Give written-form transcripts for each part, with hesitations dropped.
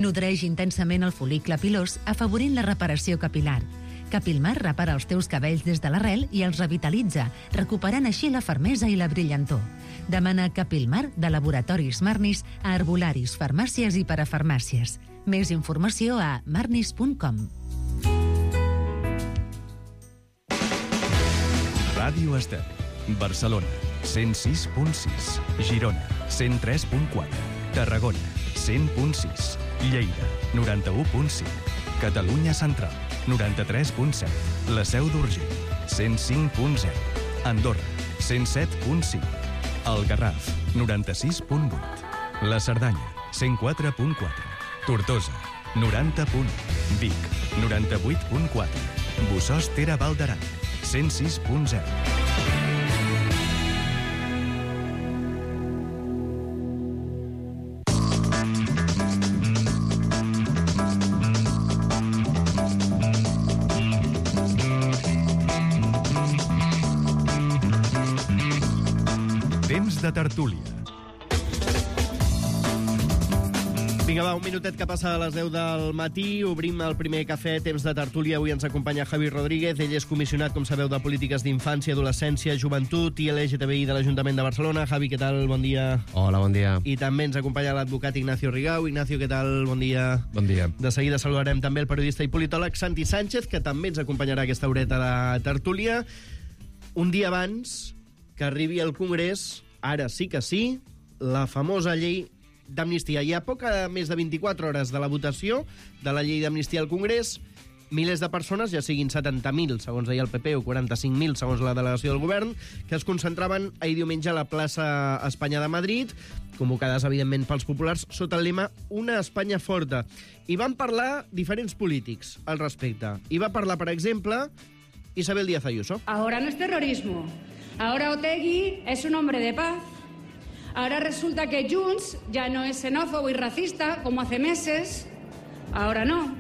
Nodreix intensament el fol·licle pilós, afavorint la reparació capilar. Capilmar repara els teus cabells des de l'arrel i els revitalitza, recuperant així la fermesa i la brillantor. Demana Capilmar de Laboratoris Marnis a herbolaris, farmàcies i parafarmàcies. Més informació a marnis.com. Ràdio Estel, Barcelona, 106.6, Girona, 103.4, Tarragona, 100.6, Lleida, 91.5, Catalunya Central, 93.7, la Seu d'Urgell, 105.0, Andorra, 107.5, el Garraf, 96.8, la Cerdanya, 104.4, Tortosa, 90.1, Vic, 98.4, Bossòst Tere Val d'Aran, 106.0. Temps de tertúlia. Vinga, va, un minutet que passa a les 10 del matí. Obrim el primer cafè, temps de tertúlia. Avui ens acompanya Javi Rodríguez. Ell és comissionat, com sabeu, de polítiques d'infància, adolescència, joventut i LGTBI de l'Ajuntament de Barcelona. Javi, què tal? Bon dia. Hola, bon dia. I també ens acompanya l'advocat Ignacio Rigau. Ignacio, què tal? Bon dia. Bon dia. De seguida saludarem també el periodista i politòleg Santi Sánchez, que també ens acompanyarà aquesta horeta de tertúlia. Un dia abans que arribi al Congrés, ara sí que sí, la famosa llei d'amnistia. Hi ha poc més de 24 hores de la votació de la llei d'amnistia al Congrés. Milers de persones, ja siguin 70.000, segons deia el PP, o 45.000, segons la delegació del govern, que es concentraven ahir diumenge a la plaça Espanya de Madrid, convocades, evidentment, pels populars, sota el lema Una Espanya forta. I van parlar diferents polítics al respecte. I va parlar, per exemple, Isabel Díaz Ayuso. Ahora no es terrorismo. Ahora Otegi es un hombre de paz. Ahora resulta que Junts ya no es xenófobo y racista como hace meses. Ahora no.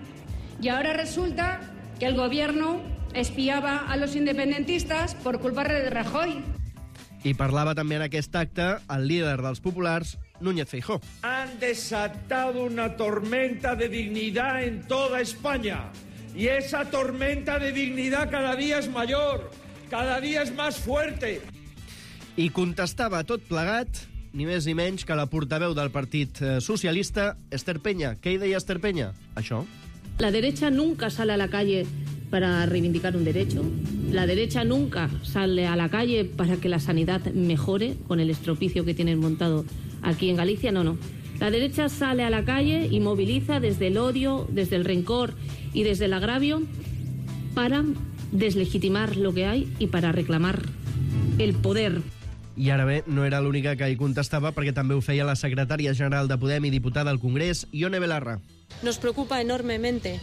Y ahora resulta que el gobierno espiaba a los independentistas por culpa de Rajoy. I parlava també en aquest acte el líder dels populars, Núñez Feijóo. Han desatado una tormenta de dignidad en toda España. Y esa tormenta de dignidad cada día es mayor, cada día es más fuerte. I contestava tot plegat, ni més ni menys que la portaveu del Partit Socialista, Esther Peña. Què hi deia Esther Peña? Això. La derecha nunca sale a la calle para reivindicar un derecho. La derecha nunca sale a la calle para que la sanidad mejore con el estropicio que tienen montado aquí en Galicia. No, no. La derecha sale a la calle y moviliza desde el odio, desde el rencor y desde el agravio para deslegitimar lo que hay y para reclamar el poder. I ara bé, no era l'única que hi contestava, perquè també ho feia la secretària general de Podem i diputada al Congrés, Ione Belarra. Nos preocupa enormemente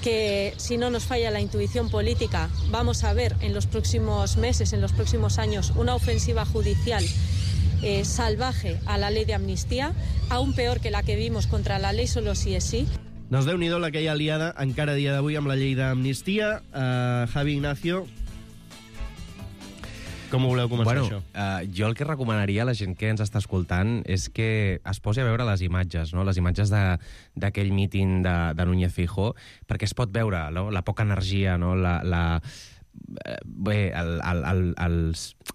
que si no nos falla la intuición política, vamos a ver en los próximos meses, en los próximos años, una ofensiva judicial salvaje a la ley de amnistía, aún peor que la que vimos contra la ley solo sí es sí. Doncs Déu-n'hi-do la que hi ha liada encara a dia d'avui amb la llei d'amnistia. Javi, Ignacio, com ho voleu començar, això? Jo el que recomanaria a la gent que ens està escoltant és que es posi a veure les imatges, no? Les imatges d'aquell míting de Núñez Feijóo, perquè es pot veure, no? La poca energia, no?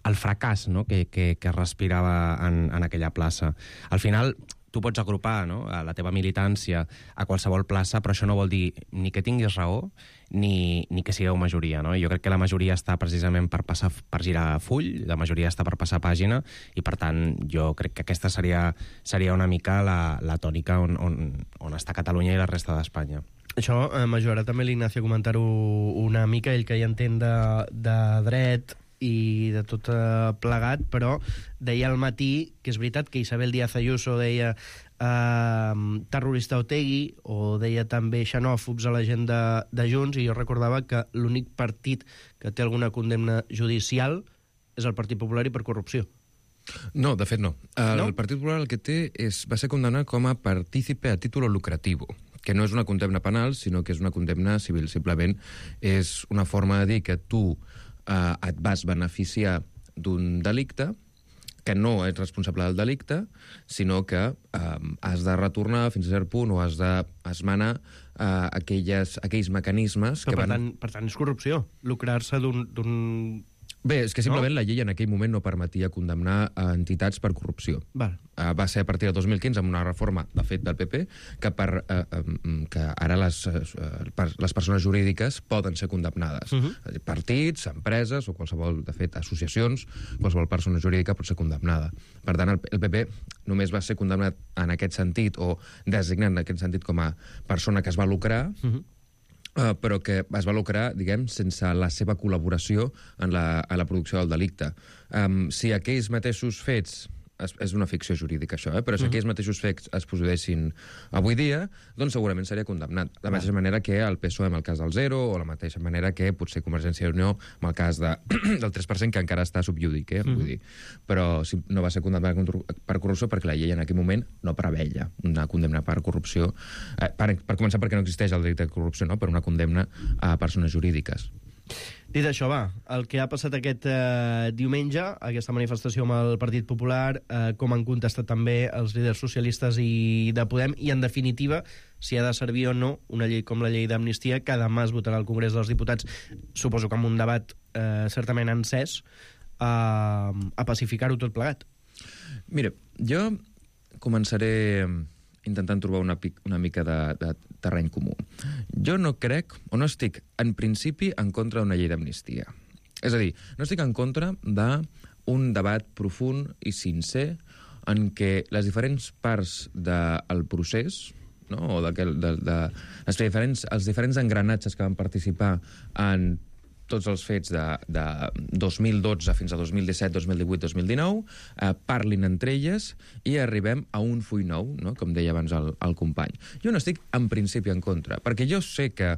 El fracàs, no? que respirava en aquella plaça. Al final, tu pots agrupar, no? A la teva militància a qualsevol plaça, però això no vol dir ni que tinguis raó ni que sigueu majoria, no? Jo crec que la majoria està precisament per girar full, la majoria està per passar pàgina, i per tant jo crec que aquesta seria una mica la tònica on està Catalunya i la resta d'Espanya. Això m'ajudarà també l'Ignacio a comentar-ho una mica, ell que hi entén de dret i de tot plegat, però deia al matí que és veritat que Isabel Díaz Ayuso deia terrorista Otegi, o deia també xenòfobs a la gent de Junts, i jo recordava que l'únic partit que té alguna condemna judicial és el Partit Popular i per corrupció. No, de fet no. El Partit Popular el que té va ser condemnat com a partícipe a título lucrativo, que no és una condemna penal, sinó que és una condemna civil. Simplement és una forma de dir que tu et vas beneficiar d'un delicte que no ets responsable del delicte, sinó que has de retornar fins a cert punt o has d'esmenar aquells mecanismes que van... Per tant, és corrupció, lucrar-se d'un... Bé, és que simplement la llei en aquell moment no permetia condemnar entitats per corrupció. Va ser a partir de 2015 amb una reforma, de fet, del PP, que ara les persones jurídiques poden ser condemnades. Partits, empreses o qualsevol, de fet, associacions, qualsevol persona jurídica pot ser condemnada. Per tant, el PP només va ser condemnat en aquest sentit o designat en aquest sentit com a persona que es va lucrar, però que es va lucrar, diguem, sense la seva col·laboració en la producció del delicte. Si aquells mateixos fets... És una ficció jurídica, això, però si aquells mateixos fets es produeixin avui dia, doncs segurament seria condemnat. De la mateixa manera que el PSOE amb el cas del Zero, o la mateixa manera que potser Convergència i Unió amb el cas del 3%, que encara està subjúdic, vull dir. Però no va ser condemnat per corrupció perquè la llei en aquell moment no preveia una condemna per corrupció. Per començar, perquè no existeix el delicte de corrupció, no? Per una condemna a persones jurídiques. Dit això, el que ha passat aquest diumenge, aquesta manifestació amb el Partit Popular, com han contestat també els líders socialistes i de Podem, i en definitiva, si ha de servir o no una llei com la llei d'amnistia, que demà es votarà al Congrés dels Diputats, suposo que amb un debat certament encès, a pacificar-ho tot plegat. Mira, jo començaré intentant trobar una mica de terreny comú. Jo no crec, o no estic, en principi, en contra d'una llei d'amnistia. És a dir, no estic en contra d'un debat profund i sincer en què les diferents parts del procés, no? O els diferents engranatges que van participar en tots els fets de 2012 fins a 2017, 2018, 2019, parlin entre elles i arribem a un full nou, no? Com deia abans el company. Jo no estic en principi en contra, perquè jo sé que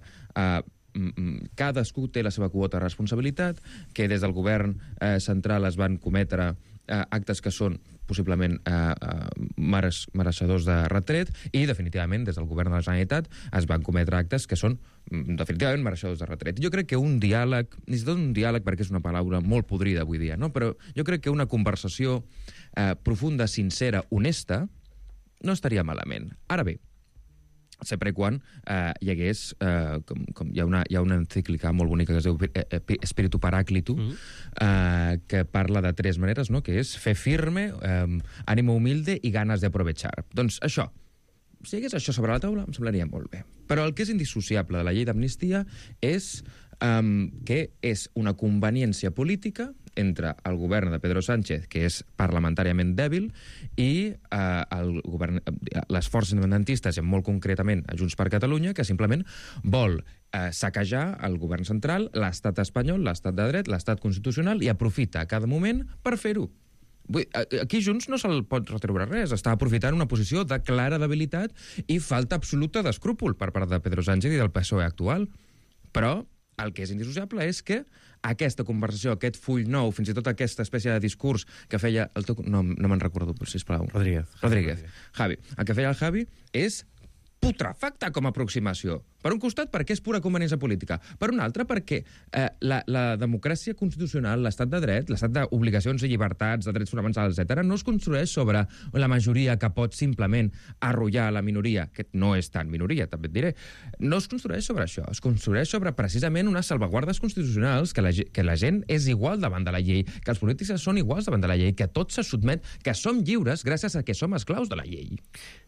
cadascú té la seva quota de responsabilitat, que des del govern central es van cometre actes que són possiblement mereixedors de retret i, definitivament, des del govern de la Generalitat es van cometre actes que són definitivament mereixedors de retret. Jo crec que un diàleg, ni tot un diàleg perquè és una paraula molt podrida avui dia, no? Però jo crec que una conversació profunda, sincera, honesta, no estaria malament. Ara bé, sempre quan hi hagués, com hi ha una encíclica molt bonica que es diu Espíritu Paráclito, que parla de tres maneres, no? Que és fe firme, ànimo humilde i ganes de aprovechar. Doncs això, si hi hagués això sobre la taula, em semblaria molt bé. Però el que és indissociable de la llei d'amnistia és que és una conveniència política entre el govern de Pedro Sánchez, que és parlamentàriament dèbil, i les forces independentistes, i molt concretament a Junts per Catalunya, que simplement vol saquejar el govern central, l'estat espanyol, l'estat de dret, l'estat constitucional, i aprofita a cada moment per fer-ho. Aquí Junts no se'l pot retreure res, està aprofitant una posició de clara debilitat i falta absoluta d'escrúpol per part de Pedro Sánchez i del PSOE actual. Però el que és indissociable és que aquesta conversació, aquest full nou, fins i tot aquesta espècie de discurs que feia... No me'n recordo, sisplau. Rodríguez. Javi. El que feia el Javi és putrefacte com a aproximació. Per un costat, perquè és pura conveniència política. Per un altre, perquè la democràcia constitucional, l'estat de dret, l'estat d'obligacions i llibertats, de drets fonamentals, etc., no es construeix sobre la majoria que pot simplement arrollar la minoria, que no és tan minoria, també et diré. No es construeix sobre això. Es construeix sobre, precisament, unes salvaguardes constitucionals, que la gent és igual davant de la llei, que els polítics són iguals davant de la llei, que tot se sotmet, que som lliures gràcies a que som esclaus de la llei.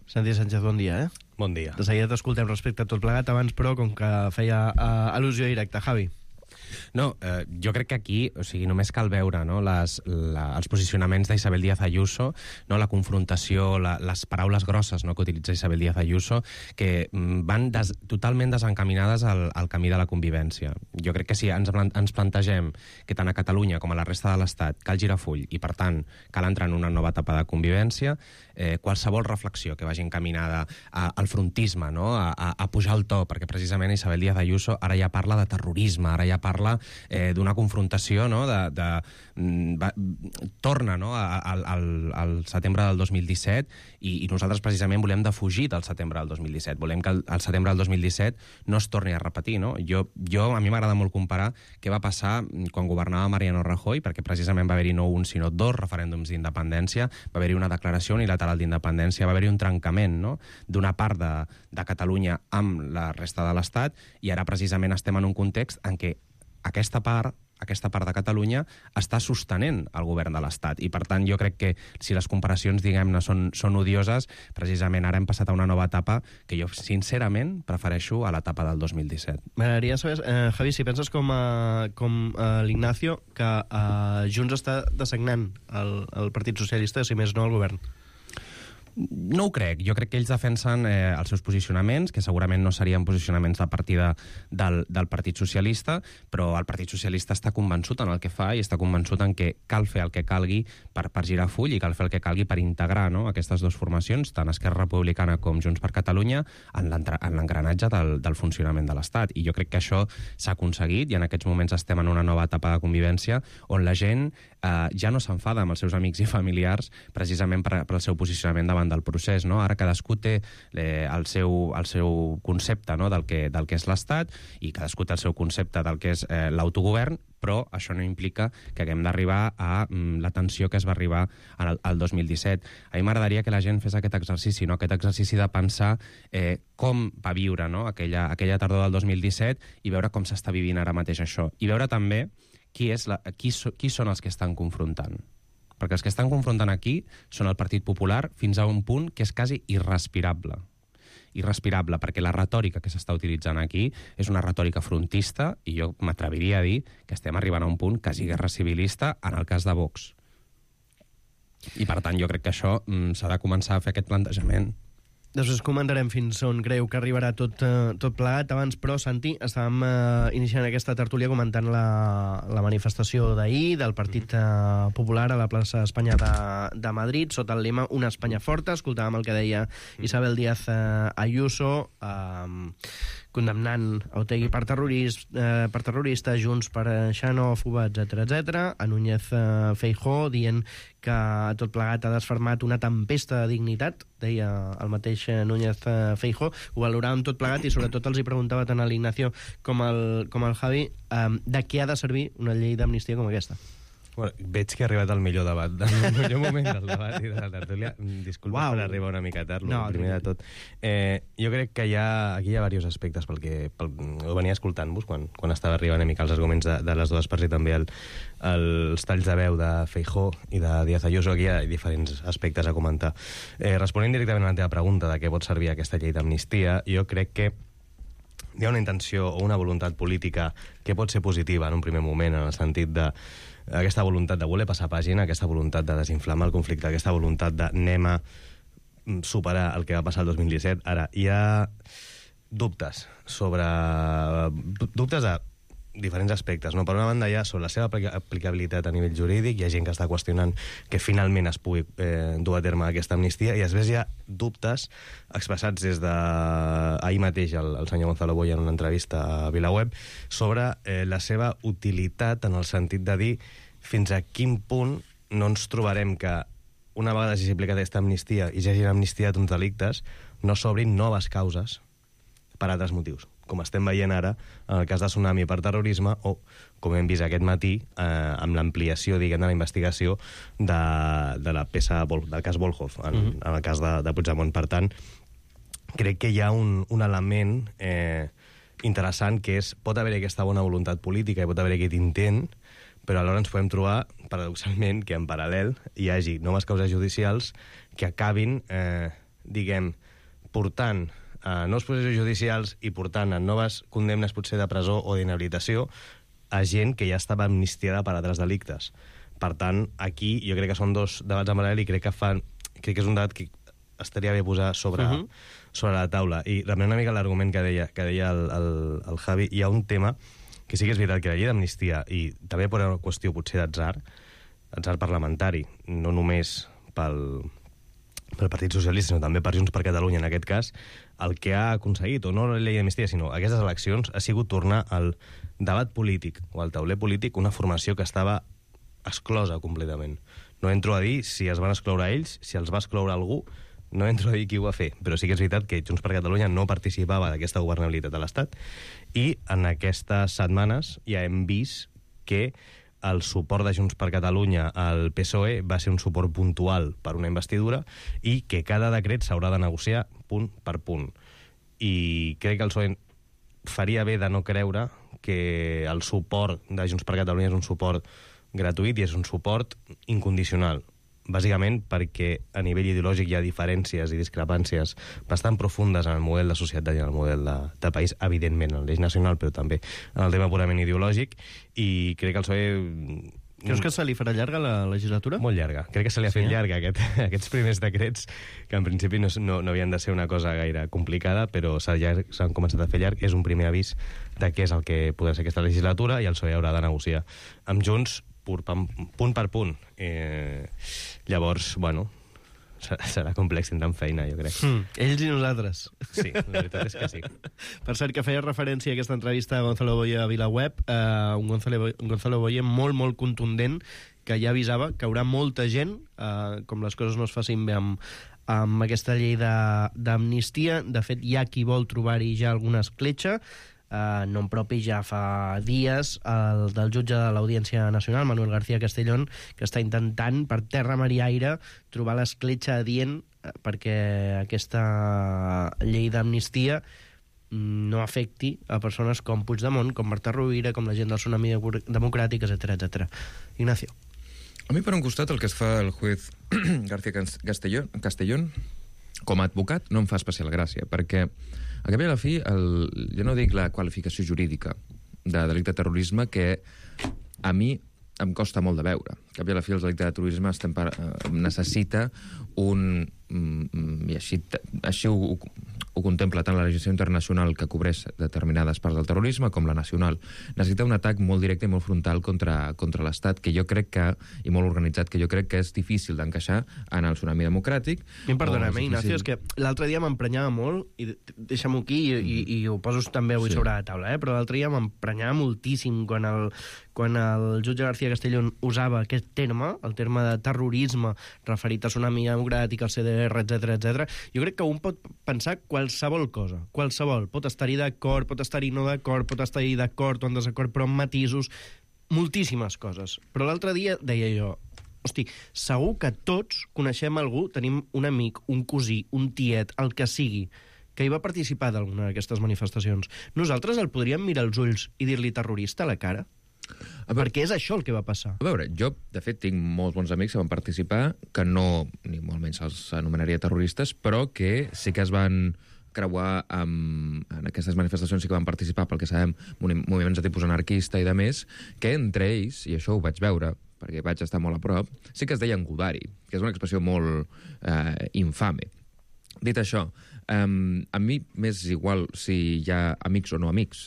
Santi Sánchez, bon dia, Bon dia. De seguida t'escoltem respecte a tot plegat, abans, però, com que feia al·lusió directa. Javi. No, jo crec que aquí, o sigui, només cal veure, no, els posicionaments d'Isabel Díaz Ayuso, no, la confrontació, les paraules grosses, no, que utilitza Isabel Díaz Ayuso, que van totalment desencaminades al camí de la convivència. Jo crec que si ens plantegem que tant a Catalunya com a la resta de l'Estat cal girar full i, per tant, cal entrar en una nova etapa de convivència, qualsevol reflexió que vagi encaminada al frontisme, no, a pujar el to, perquè precisament Isabel Díaz Ayuso ara ja parla de terrorisme, ara ja parla parla d'una confrontació, no?, torna, no?, al setembre del 2017 i nosaltres precisament volem defugir del setembre del 2017. Volem que el setembre del 2017 no es torni a repetir, no? A mi m'agrada molt comparar què va passar quan governava Mariano Rajoy, perquè precisament va haver-hi no un, sinó 2 referèndums d'independència, va haver-hi una declaració unilateral d'independència, va haver-hi un trencament, no?, d'una part de Catalunya amb la resta de l'Estat, i ara precisament estem en un context en què aquesta part de Catalunya està sostenent el govern de l'Estat. I, per tant, jo crec que si les comparacions, diguem-ne, són odioses, precisament ara hem passat a una nova etapa que jo, sincerament, prefereixo a l'etapa del 2017. M'agradaria saber, Javi, si penses com l'Ignacio, que Junts està designant el Partit Socialista, si més no el govern. No ho crec. Jo crec que ells defensen els seus posicionaments, que segurament no serien posicionaments de partida del Partit Socialista, però el Partit Socialista està convençut en el que fa i està convençut en que cal fer el que calgui per girar full i cal fer el que calgui per integrar, no?, aquestes 2 formacions, tant Esquerra Republicana com Junts per Catalunya, en l'engranatge del funcionament de l'Estat. I jo crec que això s'ha aconseguit i en aquests moments estem en una nova etapa de convivència on la gent ja no s'enfada amb els seus amics i familiars precisament pel seu posicionament davant del procés, no? Ara cadascú té el seu concepte, no?, del que és l'Estat, i cadascú té el seu concepte del que és l'autogovern, però això no implica que haguem d'arribar a la tensió que es va arribar al 2017. A mi m'agradaria que la gent fes aquest exercici, no?, aquest exercici de pensar com va viure, no?, aquella tardor del 2017 i veure com s'està vivint ara mateix això. I veure també qui són els que estan confrontant. Perquè els que estan confrontant aquí són el Partit Popular fins a un punt que és quasi irrespirable. Irrespirable, perquè la retòrica que s'està utilitzant aquí és una retòrica frontista i jo m'atreviria a dir que estem arribant a un punt quasi guerra civilista en el cas de Vox. I, per tant, jo crec que això s'ha de començar a fer aquest plantejament. Després comentarem fins on creu que arribarà tot plegat. Abans, però, Santi, estàvem iniciant aquesta tertúlia comentant la manifestació d'ahir del Partit Popular a la plaça Espanya de Madrid, sota el lema Una Espanya forta. Escoltàvem el que deia Isabel Díaz Ayuso, condemnant Otegi per terrorista, Junts per xenòfoba, etc. A Núñez Feijóo dient que tot plegat ha desfermat una tempesta de dignitat, deia el mateix Núñez Feijóo. Ho valoràvem tot plegat i sobretot els hi preguntava tant a l'Ignacio com al Javi de què ha de servir una llei d'amnistia com aquesta. Bueno, veig que ha arribat el millor debat, el millor moment del debat i de la tertúlia. Disculpa per arribar una mica tard, primer de tot. Jo crec que aquí hi ha diversos aspectes, ho venia escoltant-vos quan estava arribant una mica els arguments de les dues parts i també els talls de veu de Feijóo i de Díaz Ayuso. Aquí hi ha diferents aspectes a comentar. Responent directament a la teva pregunta de què pot servir aquesta llei d'amnistia, jo crec que hi ha una intenció o una voluntat política que pot ser positiva en un primer moment, en el sentit de aquesta voluntat de voler passar pàgina, aquesta voluntat de desinflamar el conflicte, aquesta voluntat de anem a superar el que va passar el 2017. Ara, hi ha dubtes de diferents aspectes, no? Per una banda, hi ha sobre la seva aplicabilitat a nivell jurídic, hi ha gent que està qüestionant que finalment es pugui dur a terme aquesta amnistia, i després hi ha dubtes expressats des d'ahir mateix el senyor Gonzalo Boya en una entrevista a VilaWeb sobre la seva utilitat en el sentit de dir fins a quin punt no ens trobarem que una vegada s'hagi aplicat aquesta amnistia i s'hagin amnistiat uns delictes, no s'obrin noves causes per altres motius, com estem veient ara en el cas de Tsunami per terrorisme o, com hem vist aquest matí, amb l'ampliació, diguem, de la investigació de la peça del cas Volhov, en el cas de Puigdemont. Per tant, crec que hi ha un element interessant que és, pot haver aquesta bona voluntat política i pot haver aquest intent, però alhora ens podem trobar, paradoxalment, que en paral·lel hi hagi noves causes judicials que acabin, diguem, portant nous processos judicials i portant a noves condemnes potser de presó o d'inhabilitació a gent que ja estava amnistiada per altres delictes. Per tant, aquí jo crec que són dos debats en paral·lel i crec que és un debat que estaria bé posar sobre la taula. I reprenent una mica l'argument que deia el Javi, hi ha un tema que sí que és veritat que la llei d'amnistia, i també per una qüestió potser d'atzar parlamentari, no només pel Partit Socialista, sinó també per Junts per Catalunya, en aquest cas, el que ha aconseguit, o no la llei d'amnistia, sinó aquestes eleccions, ha sigut tornar al debat polític, o al tauler polític, una formació que estava exclosa completament. No entro a dir si es van excloure ells, si els va excloure algú, no entro a dir qui ho va fer, però sí que és veritat que Junts per Catalunya no participava d'aquesta governabilitat de l'Estat, i en aquestes setmanes ja hem vist que el suport de Junts per Catalunya al PSOE va ser un suport puntual per una investidura i que cada decret s'haurà de negociar punt per punt. I crec que el PSOE faria bé de no creure que el suport de Junts per Catalunya és un suport gratuït i és un suport incondicional. Bàsicament perquè a nivell ideològic hi ha diferències i discrepàncies bastant profundes en el model de societat i en el model de país, evidentment en l'eix nacional, però també en el tema purament ideològic, i crec que el PSOE... Creus que se li farà llarga la legislatura? Molt llarga. Crec que se li ha fet llarga aquests primers decrets, que en principi no havien de ser una cosa gaire complicada, però s'han començat a fer llarg. És un primer avís de què és el que podrà ser aquesta legislatura, i el PSOE haurà de negociar amb Junts punt per punt. Llavors, bueno, serà complex, tindran feina, jo crec. Ells i nosaltres. Sí, la veritat és que sí. Per cert, que feia referència a aquesta entrevista a Gonzalo Boye a VilaWeb, un Gonzalo Boye molt, molt contundent, que ja avisava que hi haurà molta gent, com les coses no es facin bé amb aquesta llei d'amnistia. De fet, hi ha qui vol trobar-hi ja alguna escletxa. Nom propi ja fa dies el del jutge de l'Audiència Nacional, Manuel García Castellón, que està intentant per terra, mar i aire trobar l'escletxa adient perquè aquesta llei d'amnistia no afecti a persones com Puigdemont, com Marta Rovira, com la gent del Tsunami Democràtic, etc. Ignacio. A mi, per un costat, el que es fa el juez García Castellón com a advocat no em fa especial gràcia, perquè a cap i a la fi, jo no dic la qualificació jurídica de delicte de terrorisme, que a mi em costa molt de veure. A cap i a la fi, el delicte de terrorisme necessita un... i així ho contempla tant la legislació internacional, que cobreix determinades parts del terrorisme, com la nacional. Necessita un atac molt directe i molt frontal contra l'Estat, que jo crec que, i molt organitzat, que jo crec que és difícil d'encaixar en el tsunami democràtic. Perdona'm, Ignacio, és que l'altre dia m'emprenyava molt, i deixa'm-ho aquí, i ho poso també avui sobre la taula, però l'altre dia m'emprenyava moltíssim quan el jutge García Castellón usava aquest terme, el terme de terrorisme, referit a Tsunami Democràtic, al CDR, etc. Jo crec que un pot pensar qualsevol cosa, qualsevol. Pot estar-hi d'acord, pot estar-hi no d'acord, pot estar-hi d'acord o en desacord, però amb matisos, moltíssimes coses. Però l'altre dia deia jo, hosti, segur que tots coneixem algú, tenim un amic, un cosí, un tiet, el que sigui, que hi va participar d'alguna d'aquestes manifestacions. Nosaltres el podríem mirar als ulls i dir-li terrorista a la cara? Perquè és això el que va passar. A veure, jo, de fet, tinc molts bons amics que van participar, que no, ni molt menys els anomenaria terroristes, però que sí que es van creuar en aquestes manifestacions, sí que van participar, pel que sabem, moviments de tipus anarquista i de més, que entre ells, i això ho vaig veure, perquè vaig estar molt a prop, sí que es deien Godari, que és una expressió molt infame. Dit això, a mi m'és igual si hi ha amics o no amics.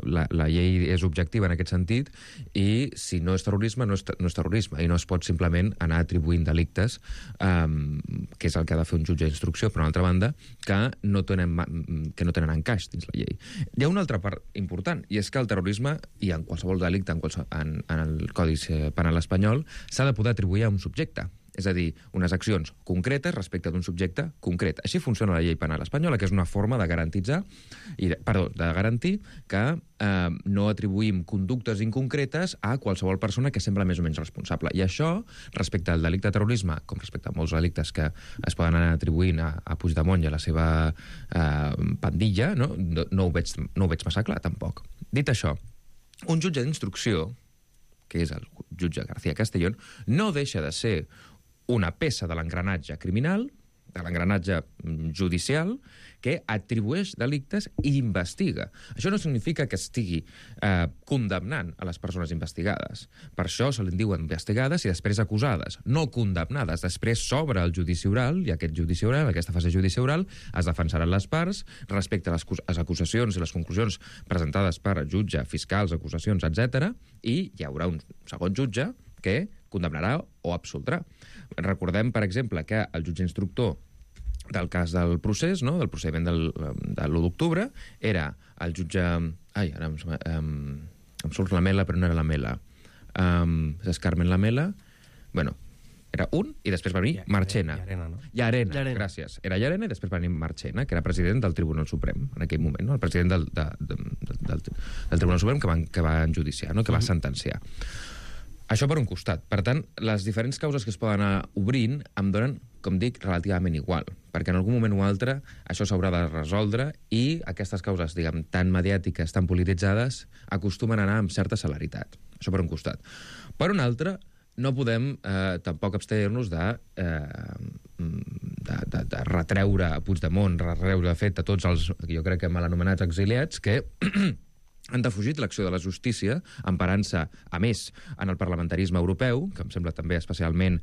La llei és objectiva en aquest sentit, i si no és terrorisme, no és terrorisme, i no es pot simplement anar atribuint delictes, que és el que ha de fer un jutge d'instrucció, per una altra banda, que no tenen encaix dins la llei. Hi ha una altra part important, i és que el terrorisme, i en qualsevol delicte en el Codi Penal espanyol, s'ha de poder atribuir a un subjecte. És a dir, unes accions concretes respecte d'un subjecte concret. Així funciona la llei penal espanyola, que és una forma de garantir que no atribuïm conductes inconcretes a qualsevol persona que sembla més o menys responsable. I això, respecte al delicte de terrorisme, com respecte a molts delictes que es poden anar atribuint a Puigdemont i a la seva pandilla, no ho veig massa clar, tampoc. Dit això, un jutge d'instrucció, que és el jutge García Castellón, no deixa de ser una peça de l'engranatge criminal, de l'engranatge judicial, que atribueix delictes i investiga. Això no significa que estigui condemnant a les persones investigades. Per això se li diuen investigades i després acusades, no condemnades. Després s'obre el judici oral, i aquest judici oral, aquesta fase judici oral, es defensaran les parts respecte a les acusacions i les conclusions presentades per jutge, fiscals, acusacions, etc. I hi haurà un segon jutge que condemnarà o absoldrà. Recordem, per exemple, que el jutge instructor del cas del procés, no? Del procediment de l'1 d'octubre, era el jutge... Ai, ara em surt Lamela, però no era Lamela. És Carmen Lamela. Bueno, era un, i després va venir Marchena. Llarena, gràcies. Era Llarena i després va venir Marchena, que era president del Tribunal Suprem, en aquell moment, no? El president del Tribunal Suprem que va enjudiciar, no? Que va sentenciar. Això per un costat. Per tant, les diferents causes que es poden anar obrint em donen, com dic, relativament igual, perquè en algun moment o altre això s'haurà de resoldre i aquestes causes, diguem, tan mediàtiques, tan polititzades, acostumen a anar amb certa celeritat. Això per un costat. Per un altre, no podem tampoc abstenir-nos de retreure a Puigdemont, retreure, de fet, a tots els, jo crec que mal anomenats exiliats, que han defugit l'acció de la justícia, emparant-se, a més, en el parlamentarisme europeu, que em sembla també especialment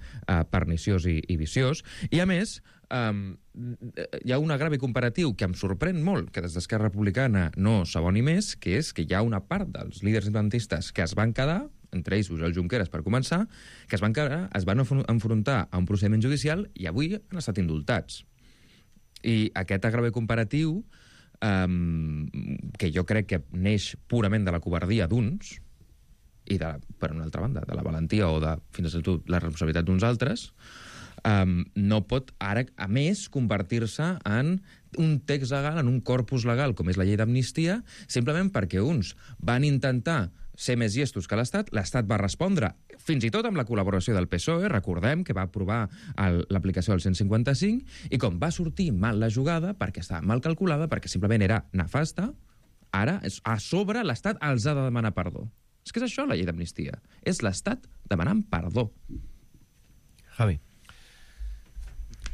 perniciós i viciós, i a més, hi ha un agrevi comparatiu que em sorprèn molt, que des d'Esquerra Republicana no s'aboni més, que és que hi ha una part dels líders independentistes que es van quedar, entre ells Oriol Junqueras per començar, que es van enfrontar a un procediment judicial i avui han estat indultats. I aquest agrevi comparatiu que jo crec que neix purament de la covardia d'uns i, per una altra banda, de la valentia o de, fins i tot, la responsabilitat d'uns altres, no pot ara, a més, convertir-se en un text legal, en un corpus legal, com és la llei d'amnistia, simplement perquè uns van intentar ser més llestos que l'Estat va respondre, fins i tot amb la col·laboració del PSOE, recordem que va aprovar l'aplicació del 155, i com va sortir mal la jugada, perquè estava mal calculada, perquè simplement era nefasta, ara, a sobre, l'Estat els ha de demanar perdó. És que és això, la llei d'amnistia. És l'Estat demanant perdó. Javi.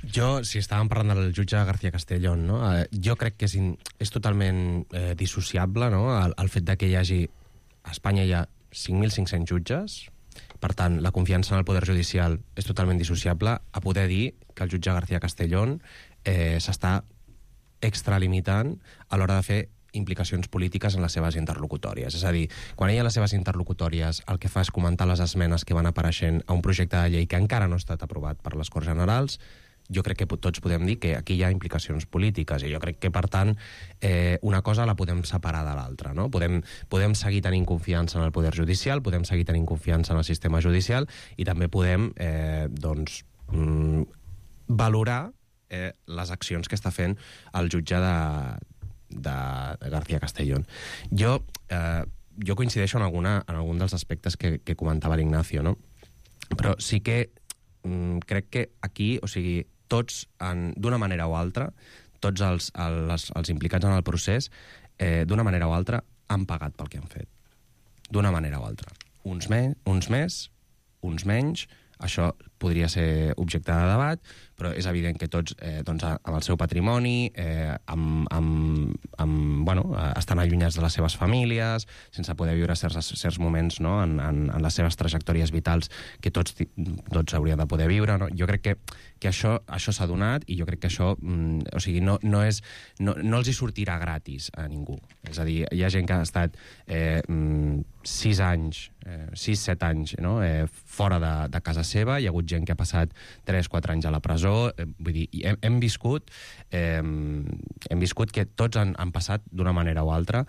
Jo, si estàvem parlant del jutge García Castellón, no? Jo crec que és totalment dissociable, no? El fet que hi hagi... A Espanya hi ha 5.500 jutges, per tant, la confiança en el poder judicial és totalment dissociable a poder dir que el jutge García Castellón s'està extralimitant a l'hora de fer implicacions polítiques en les seves interlocutòries. És a dir, quan ella a les seves interlocutòries el que fa és comentar les esmenes que van apareixent a un projecte de llei que encara no ha estat aprovat per les Corts Generals, jo crec que tots podem dir que aquí hi ha implicacions polítiques i jo crec que, per tant, una cosa la podem separar de l'altra, no? Podem seguir tenint confiança en el poder judicial, podem seguir tenint confiança en el sistema judicial i també podem, valorar les accions que està fent el jutge de García Castellón. Jo coincideixo en algun dels aspectes que comentava l'Ignacio, no? Però sí que crec que aquí, o sigui, tots, d'una manera o altra, tots els implicats en el procés, d'una manera o altra, han pagat pel que han fet. D'una manera o altra. Uns més, uns menys, això podria ser objecte de debat, però és evident que tots, amb el seu patrimoni, estan allunyats de les seves famílies, sense poder viure certs moments, no? en les seves trajectòries vitals que tots haurien de poder viure. No? Jo crec que això s'ha donat i jo crec que això no els hi sortirà gratis a ningú. És a dir, hi ha gent que ha estat 6-7 anys fora de casa seva, hi ha hagut gent que ha passat 3-4 anys a la presó, vull dir, hem viscut que tots han passat d'una manera o altra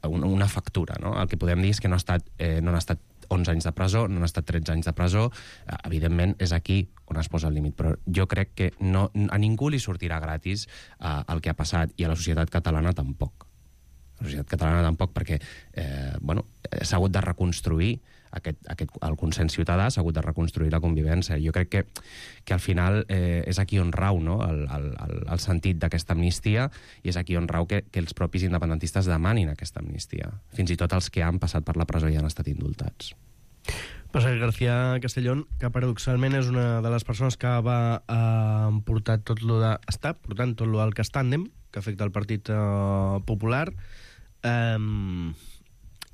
una factura, no? El que podem dir és que no han estat 11 anys de presó, no han estat 13 anys de presó, evidentment és aquí on es posa el límit, però jo crec que a ningú li sortirà gratis el que ha passat i a la societat catalana tampoc. La societat catalana tampoc, perquè s'ha hagut de reconstruir el consens ciutadà, s'ha hagut de reconstruir la convivència. Jo crec que al final és aquí on rau, no? el sentit d'aquesta amnistia, i és aquí on rau que els propis independentistes demanin aquesta amnistia. Fins i tot els que han passat per la presó i han estat indultats. Passa que García Castellón, que paradoxalment és una de les persones que va portar està portant tot lo del Castàndem, que afecta el Partit Popular,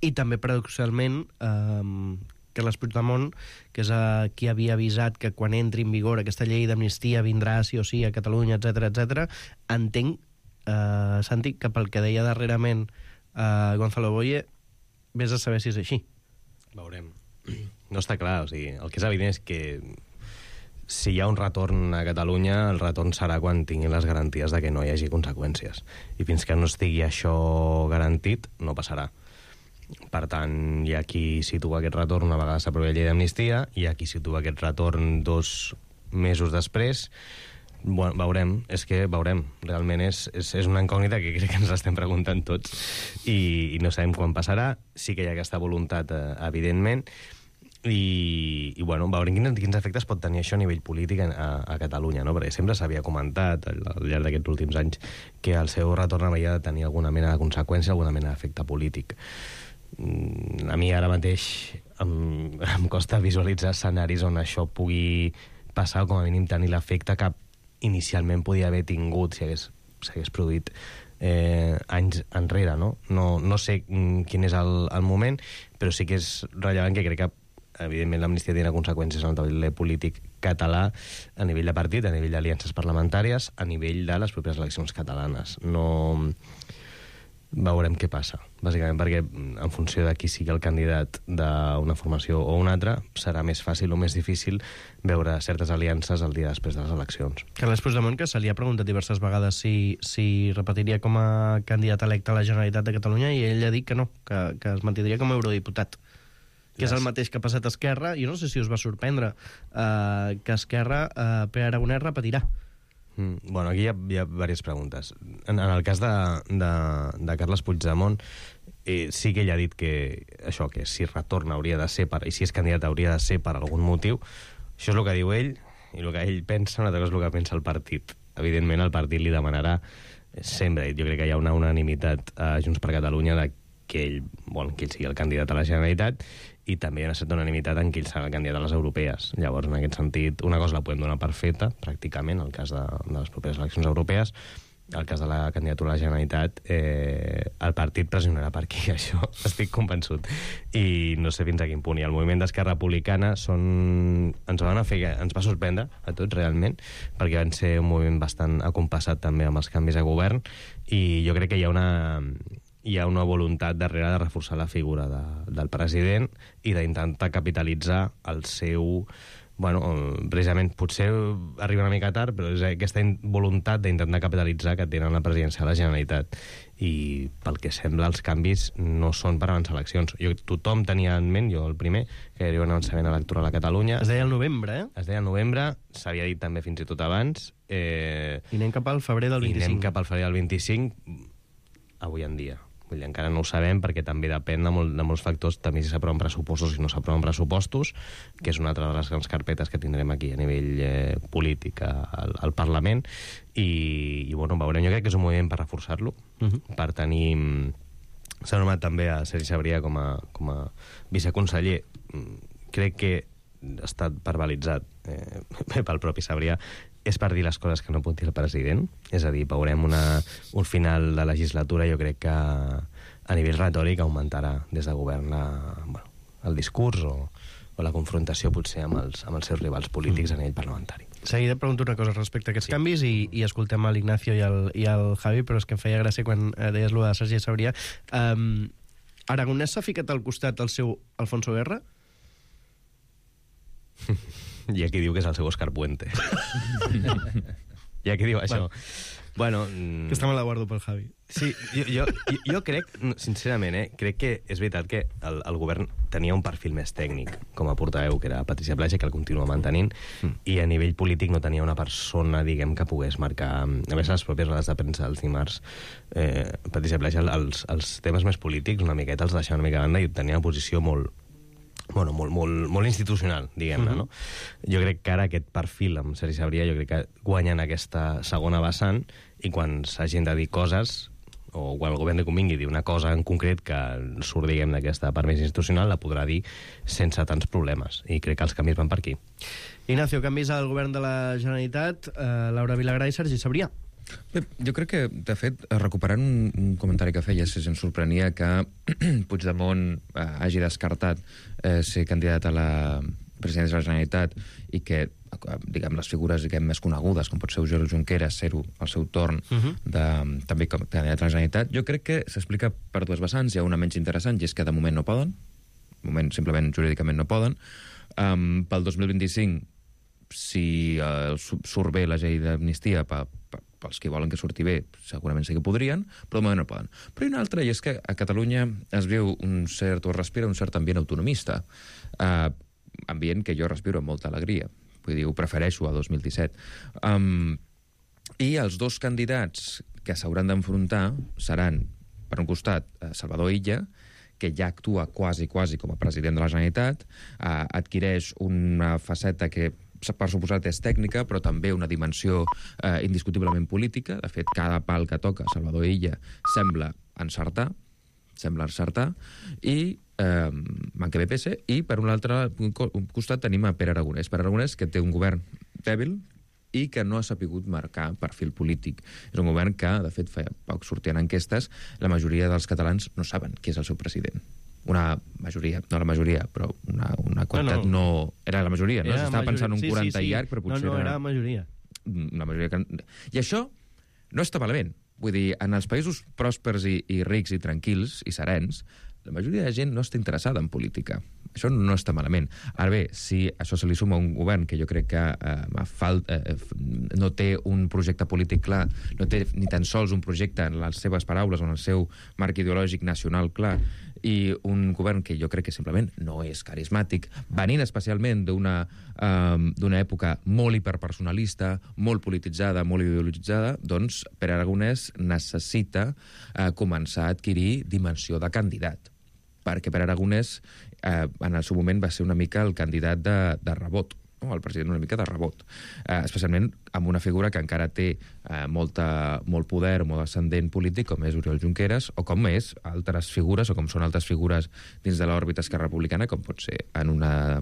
i també paradoxalment Carles Puigdemont, que és qui havia avisat que quan entri en vigor aquesta llei d'amnistia vindrà sí o sí a Catalunya, etc. Entenc, Santi, que pel que deia darrerament Gonzalo Boye, vés a saber si és així. Veurem. No està clar, o sigui, el que és evident és que si hi ha un retorn a Catalunya, el retorn serà quan tinguin les garanties de que no hi hagi conseqüències. I fins que no estigui això garantit, no passarà. Per tant, hi ha qui situa aquest retorn una vegada s'aprovi la llei d'amnistia, hi ha qui situa aquest retorn 2 mesos després. Bueno, veurem, veurem. Realment és una incògnita que crec que ens l'estem preguntant tots i no sabem quan passarà. Sí que hi ha aquesta voluntat, evidentment, i bueno, veurem quins efectes pot tenir això a nivell polític a Catalunya, no? Perquè sempre s'havia comentat al llarg d'aquests últims anys que el seu retorn havia de tenir alguna mena de conseqüència, alguna mena d'efecte polític. A mi ara mateix em costa visualitzar escenaris on això pugui passar o com a mínim tenir l'efecte que inicialment podia haver tingut si s'hagués produït anys enrere, no? No sé quin és el moment, però sí que és rellevant que crec que evidentment l'amnistia té conseqüències en el taulell polític català a nivell de partit, a nivell d'aliances parlamentàries, a nivell de les properes eleccions catalanes. No veurem què passa, bàsicament perquè en funció de qui sigui el candidat d'una formació o una altra, serà més fàcil o més difícil veure certes aliances el dia després de les eleccions. Carles Puigdemont, que se li ha preguntat diverses vegades si repetiria com a candidat electe a la Generalitat de Catalunya, i ell ha dit que no, que es mantindria com a eurodiputat. Que és el mateix que ha passat a Esquerra. Jo no sé si us va sorprendre que Esquerra, Pere Aragonès, repetirà. Bueno, aquí hi ha diverses preguntes. En el cas de Carles Puigdemont, sí que ell ha dit que això, que si retorna hauria de ser i si és candidat hauria de ser per algun motiu. Això és el que diu ell, i el que ell pensa, una altra cosa és el que pensa el partit. Evidentment, el partit li demanarà sempre, jo crec que hi ha una unanimitat a Junts per Catalunya de que ell vol que ell sigui el candidat a la Generalitat, i també hi ha una certa unanimitat en qui ell serà el candidat a les europees. Llavors, en aquest sentit, una cosa la podem donar per feta, pràcticament, el cas de les properes eleccions europees. El cas de la candidatura a la Generalitat, el partit pressionarà per aquí, això estic convençut. I no sé fins a quin punt. I el moviment d'Esquerra Republicana ens va sorprendre a tots, realment, perquè van ser un moviment bastant acompassat també amb els canvis de govern, i jo crec que hi ha una voluntat darrere de reforçar la figura del president i d'intentar capitalitzar el seu... Bueno, precisament, potser arriba una mica tard, però és aquesta voluntat d'intentar capitalitzar que tenen la presidència de la Generalitat. I pel que sembla, els canvis no són per avançar eleccions. Tothom tenia en ment, jo el primer, que hi hauria un avançament electoral a Catalunya. Es deia el novembre, Es deia el novembre, s'havia dit també fins i tot abans. I anem cap al febrer del 25. I anem cap al febrer del 25, avui en dia. Vull dir, encara no ho sabem perquè també depèn de molts factors, també si s'aproven pressupostos i no s'aproven pressupostos, que és una altra de les grans carpetes que tindrem aquí a nivell polític al Parlament, i bueno, veurem. Jo crec que és un moviment per reforçar-lo, per tenir... S'ha nomenat també a Sergi Sabrià com a viceconseller. Crec que ha estat verbalitzat pel propi Sabrià, és per dir les coses que no pot dir el president. És a dir, veurem un final de legislatura, jo crec que a nivell retòric augmentarà des de govern el discurs o la confrontació potser amb els seus rivals polítics a nivell parlamentari. Seguida pregunto una cosa respecte a aquests canvis i escoltem a l'Ignacio i al Javi, però és que em feia gràcia quan deies lo de Sergi Sabrià. Aragonès s'ha ficat al costat del seu Alfonso Guerra? Hi ha qui diu que és el seu Òscar Puente. Hi ha qui diu això. Bueno, que està me la guardo pel Javi. Sí, jo crec, sincerament, crec que és veritat que el govern tenia un perfil més tècnic com a portaveu, que era Patricia Plaja, que el continua mantenint, i a nivell polític no tenia una persona, diguem, que pogués marcar... A més, les pròpies rodes de premsa dels dimarts, Patricia Plaja, els temes més polítics una miqueta els deixava una mica a banda i tenia una posició molt institucional, diguem-ne, no? Jo crec que ara aquest perfil amb Sergi Sabrià, jo crec que guanyen aquesta segona vessant, i quan s'hagin de dir coses, o quan el govern li convingui dir una cosa en concret que surt, diguem, d'aquesta part més institucional, la podrà dir sense tants problemes, i crec que els canvis van per aquí. Ignacio, canvis al govern de la Generalitat, Laura Vilagrà i Sergi Sabrià. Bé, jo crec que, de fet, recuperant un comentari que feies, ens sorprenia que Puigdemont hagi descartat ser candidat a la presidència de la Generalitat i que, diguem, les figures més conegudes, com pot ser Oriol Junqueras, ser-ho al seu torn també com candidat a la Generalitat. Jo crec que s'explica per dues vessants. Hi ha una menys interessant, i és que de moment no poden. de moment simplement jurídicament no poden. Pel 2025, si surt bé la llei d'amnistia pels que volen que surti bé, segurament sí que podrien, però de moment no poden. Però hi ha una altra, i és que a Catalunya es viu es respira un cert ambient autonomista, ambient que jo respiro amb molta alegria. Vull dir, ho prefereixo a 2017. I els dos candidats que s'hauran d'enfrontar seran, per un costat, Salvador Illa, que ja actua quasi com a president de la Generalitat, adquireix una faceta que per suposat és tècnica, però també una dimensió indiscutiblement política. De fet, cada pal que toca Salvador Illa sembla encertar, i manca BPS, i per un altre costat tenim a Pere Aragonès. Pere Aragonès, que té un govern dèbil i que no ha sapigut marcar perfil polític. És un govern que, de fet, fa poc sortien enquestes, la majoria dels catalans no saben qui és el seu president. Una majoria, no la majoria, però una quantitat no... Era la majoria, no? S'estava pensant un 40 i llarg, però potser era la majoria. Una majoria que... I això no està malament. Vull dir, en els països pròspers i rics i tranquils i serens, la majoria de gent no està interessada en política. Això no està malament. Ara bé, si això se li suma a un govern que jo crec que no té un projecte polític clar, no té ni tan sols un projecte en les seves paraules o en el seu marc ideològic nacional clar, i un govern que jo crec que simplement no és carismàtic, venint especialment d'una època molt hiperpersonalista, molt polititzada, molt ideologitzada, doncs Pere Aragonès necessita començar a adquirir dimensió de candidat, perquè Pere Aragonès en el seu moment va ser una mica el candidat de rebot, el president una mica de rebot, especialment amb una figura que encara té molt poder, molt ascendent polític, com és Oriol Junqueras, o com és altres figures, o com són altres figures dins de l'òrbita esquerra republicana, com pot ser en una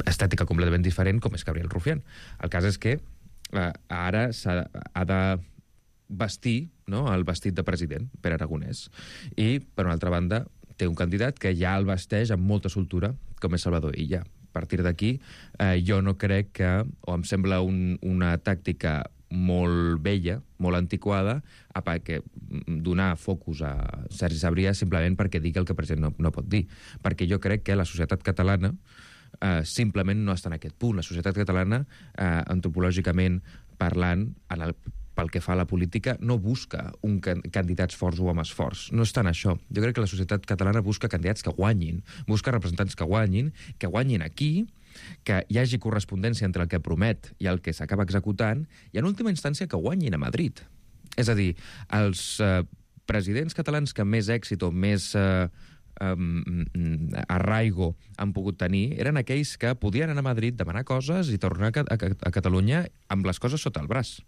estètica completament diferent, com és Gabriel Rufián. El cas és que ara ha de vestir, no?, el vestit de president, Pere Aragonès. I, per una altra banda, té un candidat que ja el vesteix amb molta soltura, com és Salvador Illa. A partir d'aquí, jo no crec que, o em sembla una tàctica molt vella, molt antiquada, perquè donar focus a Sergi Sabrià simplement perquè digui el que el president no pot dir. Perquè jo crec que la societat catalana simplement no està en aquest punt. La societat catalana, antropològicament parlant, pel que fa a la política, no busca candidats forts o amb esforç. No està en això. Jo crec que la societat catalana busca candidats que guanyin, busca representants que guanyin aquí, que hi hagi correspondència entre el que promet i el que s'acaba executant, i en última instància que guanyin a Madrid. És a dir, els presidents catalans que més èxit o més arraigo han pogut tenir eren aquells que podien anar a Madrid, demanar coses i tornar a Catalunya amb les coses sota el braç.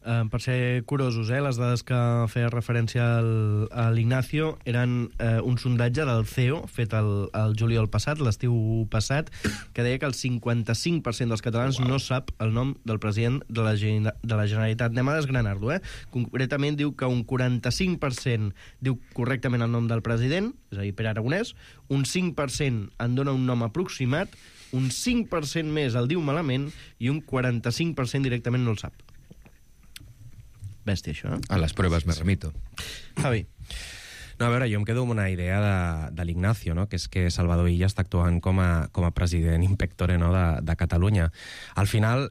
Per ser curosos, les dades que feia referència a l'Ignacio eren un sondatge del CEO fet el juliol passat, l'estiu passat, que deia que el 55% dels catalans no sap el nom del president de la Generalitat. Anem a desgranar-lo, Concretament diu que un 45% diu correctament el nom del president, és a dir, Pere Aragonès, un 5% en dona un nom aproximat, un 5% més el diu malament i un 45% directament no el sap. Bèstia, això, A les proves me remito. Javi. No, a veure, jo em quedo amb una idea de l'Ignacio, no?, que és que Salvador Illa està actuant com a president in pectore, no?, de Catalunya. Al final,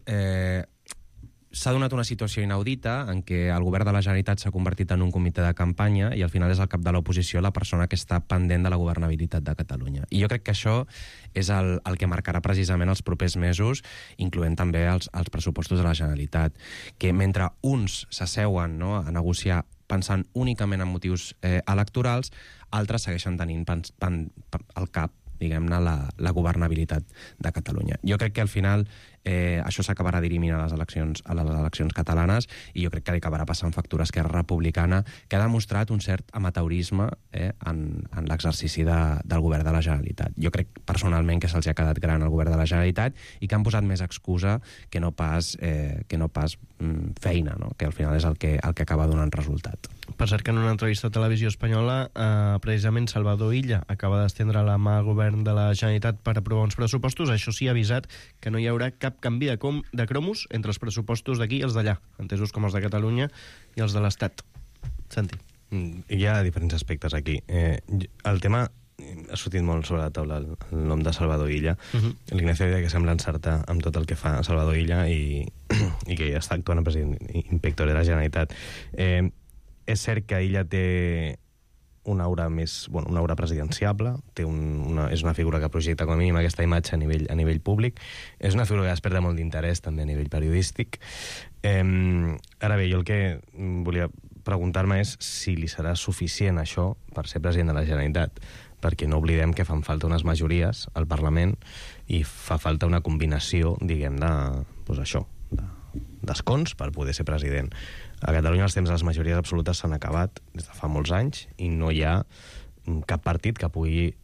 s'ha donat una situació inaudita en què el govern de la Generalitat s'ha convertit en un comitè de campanya i al final és el cap de l'oposició la persona que està pendent de la governabilitat de Catalunya. I jo crec que això és el que marcarà precisament els propers mesos, incloent també els pressupostos de la Generalitat, que mentre uns s'asseuen, no?, a negociar pensant únicament en motius electorals, altres segueixen tenint al cap, diguem-ne, la governabilitat de Catalunya. Jo crec que al final això s'acabarà dirimint a les eleccions catalanes i jo crec que li acabarà passant factura a Esquerra Republicana, que ha demostrat un cert amateurisme en l'exercici del govern de la Generalitat. Jo crec personalment que se'ls ha quedat gran el govern de la Generalitat i que han posat més excusa que no pas feina, no?, que al final és el que acaba donant resultat. Per cert que en una entrevista a Televisió Espanyola precisament Salvador Illa acaba d'estendre la mà al govern de la Generalitat per aprovar uns pressupostos. Això sí, ha avisat que no hi haurà cap canvi de cromos entre els pressupostos d'aquí i els d'allà, entesos com els de Catalunya i els de l'Estat. Santi. Hi ha diferents aspectes aquí. El tema ha sortit molt sobre la taula el nom de Salvador Illa. L'Ignacio deia que sembla encertar amb tot el que fa Salvador Illa i que està actuant en president inspector de la Generalitat. És cert que Illa té una aura més, una aura presidenciable, és una figura que projecta com a mínim aquesta imatge a nivell públic, és una figura que desperta molt d'interès també a nivell periodístic. Ara bé, jo el que volia preguntar-me és si li serà suficient això per ser president de la Generalitat, perquè no oblidem que fan falta unes majories al Parlament i fa falta una combinació, diguem, d'escons per poder ser president. A Catalunya els temps de les majories absolutes s'han acabat des de fa molts anys i no hi ha cap partit que pugui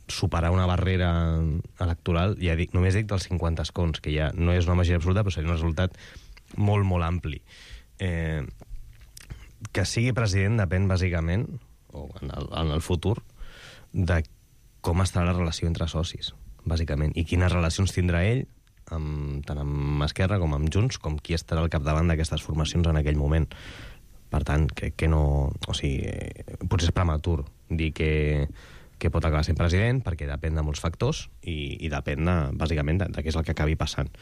superar una barrera electoral, ja dic, només dic dels 50 escons, que ja no és una majoria absoluta, però seria un resultat molt, molt ampli. Que sigui president depèn bàsicament, o en el futur, de com estarà la relació entre socis, bàsicament, i quines relacions tindrà ell, tant amb Esquerra com amb Junts, com qui estarà al capdavant d'aquestes formacions en aquell moment. Per tant, que no... O sigui, potser és prematur dir que pot acabar sent president, perquè depèn de molts factors i depèn, bàsicament, de què és el que acabi passant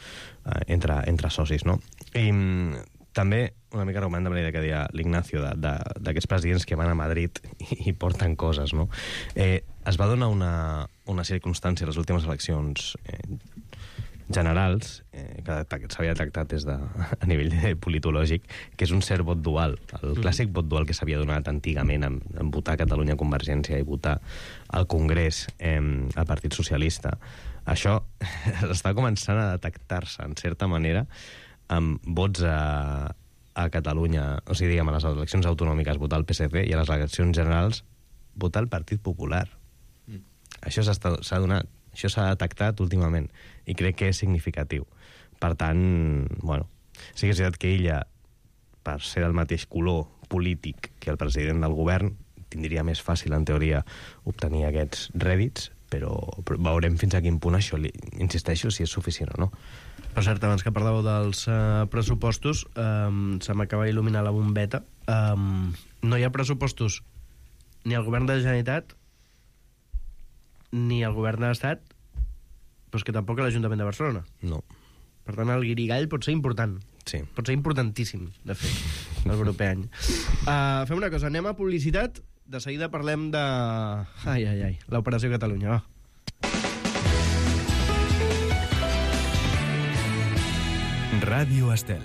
entre socis, no? I també, una mica argument de la idea que deia l'Ignacio, d'aquests presidents que van a Madrid i porten coses, no? Es va donar una circumstància a les últimes eleccions generals, que s'havia tractat a nivell politològic, que és un cert vot dual, el clàssic vot dual que s'havia donat antigament en votar a Catalunya Convergència i votar al Congrés al Partit Socialista. Això està començant a detectar-se, en certa manera, amb vots a Catalunya, o sigui, diguem, a les eleccions autonòmiques votar el PSC i a les eleccions generals votar el Partit Popular. Això s'ha donat, això s'ha detectat últimament i crec que és significatiu. Per tant, bueno, sí que és veritat que ella, per ser del mateix color polític que el president del govern, tindria més fàcil, en teoria, obtenir aquests rèdits, però veurem fins a quin punt això, insisteixo, si és suficient o no. Per cert, abans que parlàveu dels pressupostos, se m'acaba d'il·luminar la bombeta. No hi ha pressupostos ni al govern de la Generalitat ni al govern de l'Estat, però és que tampoc a l'Ajuntament de Barcelona. No. Per tant, el guirigall pot ser important. Sí. Pot ser importantíssim, de fet, el proper any. Fem una cosa, anem a publicitat. De seguida parlem de... l'Operació Catalunya, va. Ràdio Estel.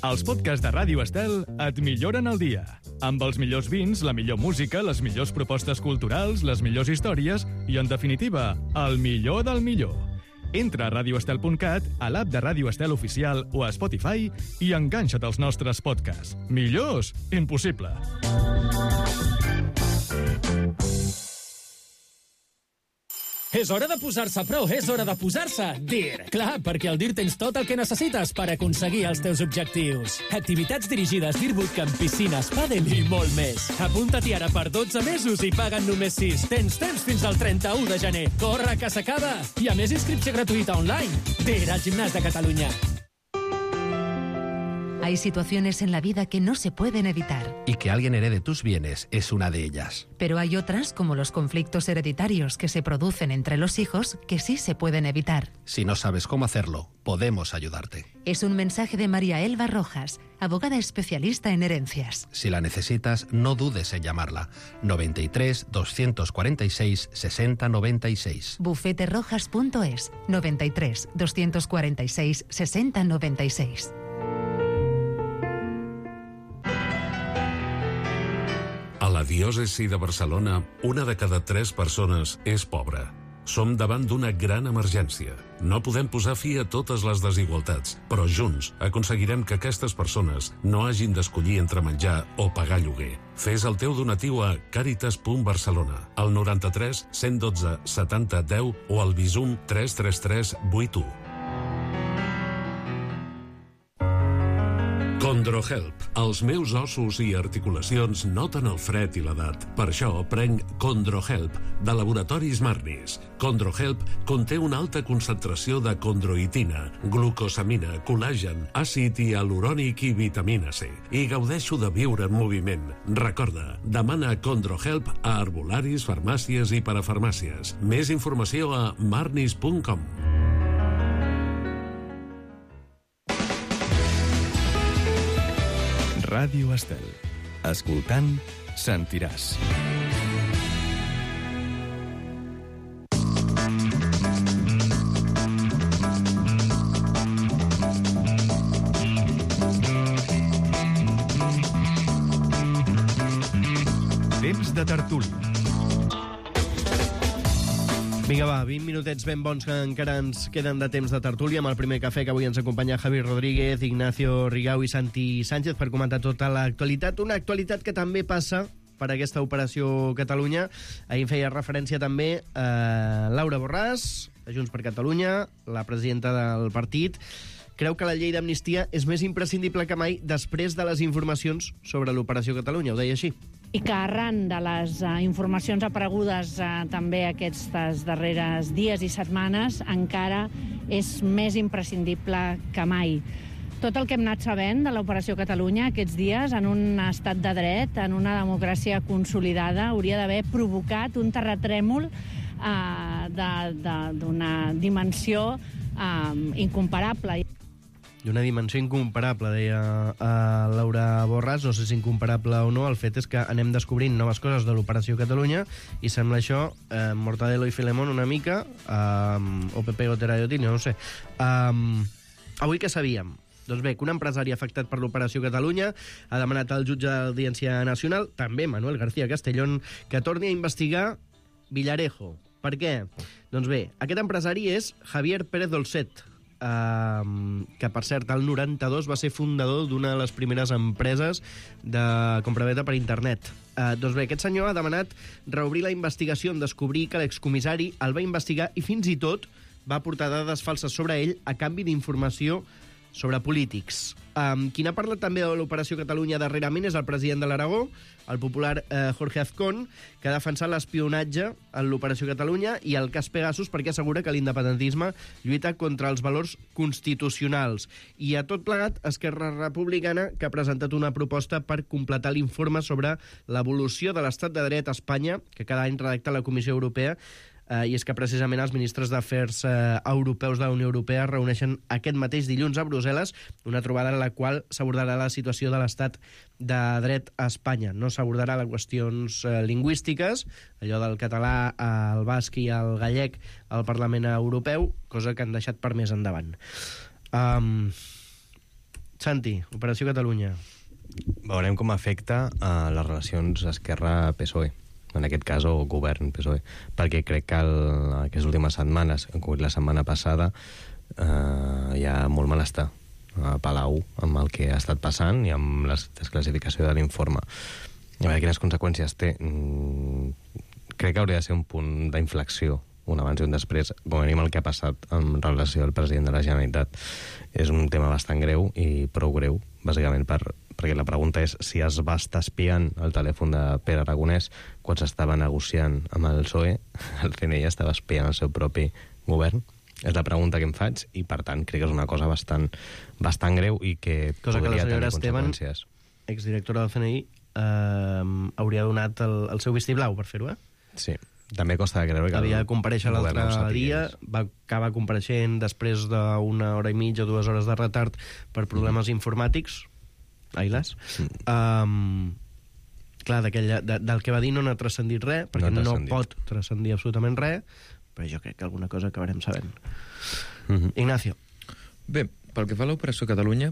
Els podcasts de Ràdio Estel et milloren el dia. Amb els millors vins, la millor música, les millors propostes culturals, les millors històries i, en definitiva, el millor del millor. Entra a radioestel.cat, a l'app de Ràdio Estel Oficial o a Spotify i enganxa't als nostres podcasts. Millors? Impossible. És hora de posar-se a prou, és hora de posar-se DIR. Clar, perquè al DIR tens tot el que necessites per aconseguir els teus objectius. Activitats dirigides, DIR Bootcamp, piscines, pàdel i molt més. Apunta-t'hi ara per 12 mesos i paguen només 6. Tens temps fins al 31 de gener. Corre, que s'acaba! I a més, inscripció gratuïta online. DIR, al Gimnàs de Catalunya. Hay situaciones en la vida que no se pueden evitar. Y que alguien herede tus bienes es una de ellas. Pero hay otras, como los conflictos hereditarios que se producen entre los hijos, que sí se pueden evitar. Si no sabes cómo hacerlo, podemos ayudarte. Es un mensaje de María Elba Rojas, abogada especialista en herencias. Si la necesitas, no dudes en llamarla. 93 246 60 96. Bufeterojas.es 93 246 60 96. A la diòcesi de Barcelona, 1 de cada 3 persones és pobra. Som davant d'una gran emergència. No podem posar fi a totes les desigualtats, però junts aconseguirem que aquestes persones no hagin d'escollir entre menjar o pagar lloguer. Fes el teu donatiu a caritas.barcelona, al 93 112 70 10 o al Bizum 333 81. CondroHelp. Els meus ossos i articulacions noten el fred i l'edat. Per això prenc CondroHelp, de Laboratoris Marnis. CondroHelp conté una alta concentració de condroitina, glucosamina, col·làgen, àcid hialurònic i vitamina C. I gaudeixo de viure en moviment. Recorda, demana CondroHelp a herbolaris, farmàcies i parafarmàcies. Més informació a marnis.com. Ràdio Estel. Escoltant, sentiràs. Temps de tertúlia. Vinga, va, 20 minutets ben bons que encara ens queden de temps de tertúlia amb el primer cafè, que avui ens acompanya Javi Rodríguez, Ignacio Rigau i Santi Sánchez per comentar tota l'actualitat. Una actualitat que també passa per aquesta operació Catalunya. Ahir feia referència també a Laura Borràs, de Junts per Catalunya, la presidenta del partit. Creu que la llei d'amnistia és més imprescindible que mai després de les informacions sobre l'operació Catalunya. Ho deia així. I que arran de les informacions aparegudes també aquestes darreres dies i setmanes encara és més imprescindible que mai. Tot el que hem anat sabent de l'Operació Catalunya aquests dies, en un estat de dret, en una democràcia consolidada, hauria d'haver provocat un terratrèmol d'una dimensió incomparable. D'una dimensió incomparable, deia Laura Borràs. No sé si incomparable o no, el fet és que anem descobrint noves coses de l'Operació Catalunya i sembla això Mortadelo i Filemón una mica, o Pepe Gotera de Otín, no ho sé. Avui què sabíem? Doncs bé, que un empresari afectat per l'Operació Catalunya ha demanat al jutge d'Audiència Nacional, també Manuel García Castellón, que torni a investigar Villarejo. Per què? Doncs bé, aquest empresari és Javier Pérez Dolcet, que, per cert, al 92 va ser fundador d'una de les primeres empreses de compravenda per internet. Doncs bé, aquest senyor ha demanat reobrir la investigació en descobrir que l'excomissari el va investigar i fins i tot va aportar dades falses sobre ell a canvi d'informació sobre polítics. Qui n'ha parlat també de l'Operació Catalunya darrerament és el president de l'Aragó, el popular Jorge Azcón, que ha defensat l'espionatge en l'Operació Catalunya i el cas Pegasus perquè assegura que l'independentisme lluita contra els valors constitucionals. I a tot plegat, Esquerra Republicana, que ha presentat una proposta per completar l'informe sobre l'evolució de l'estat de dret a Espanya, que cada any redacta la Comissió Europea, i és que precisament els ministres d'Afers europeus de la Unió Europea es reuneixen aquest mateix dilluns a Brussel·les, una trobada en la qual s'abordarà la situació de l'estat de dret a Espanya. No s'abordarà les qüestions lingüístiques, allò del català, el basc i el gallec al Parlament Europeu, cosa que han deixat per més endavant. Santi, Operació Catalunya. Veurem com afecta a les relacions Esquerra-PSOE. En aquest cas, o govern PSOE, perquè crec que aquestes últimes setmanes, la setmana passada, hi ha molt malestar a Palau amb el que ha estat passant i amb la desclassificació de l'informe. A veure quines conseqüències té. Crec que hauria de ser un punt d'inflexió, un abans i un després, com a mínim el que ha passat en relació al president de la Generalitat. És un tema bastant greu i prou greu, bàsicament perquè la pregunta és si es va estar espiant el telèfon de Pere Aragonès quan s'estava negociant amb el PSOE, el CNI estava espiant el seu propi govern. És la pregunta que em faig i, per tant, crec que és una cosa bastant greu i que podria tenir conseqüències. Exdirectora del CNI, hauria donat el seu vistiplau per fer-ho, Sí. També costa de creure que havia de comparèixer l'altre dia, va acabar compareixent després d'una hora i mitja o 2 hores de retard per problemes informàtics. Ailes. Clar, del que va dir no n'ha transcendit res, perquè no pot transcendir absolutament res, però jo crec que alguna cosa acabarem sabent. Ignacio. Bé, pel que fa a l'Operació Catalunya,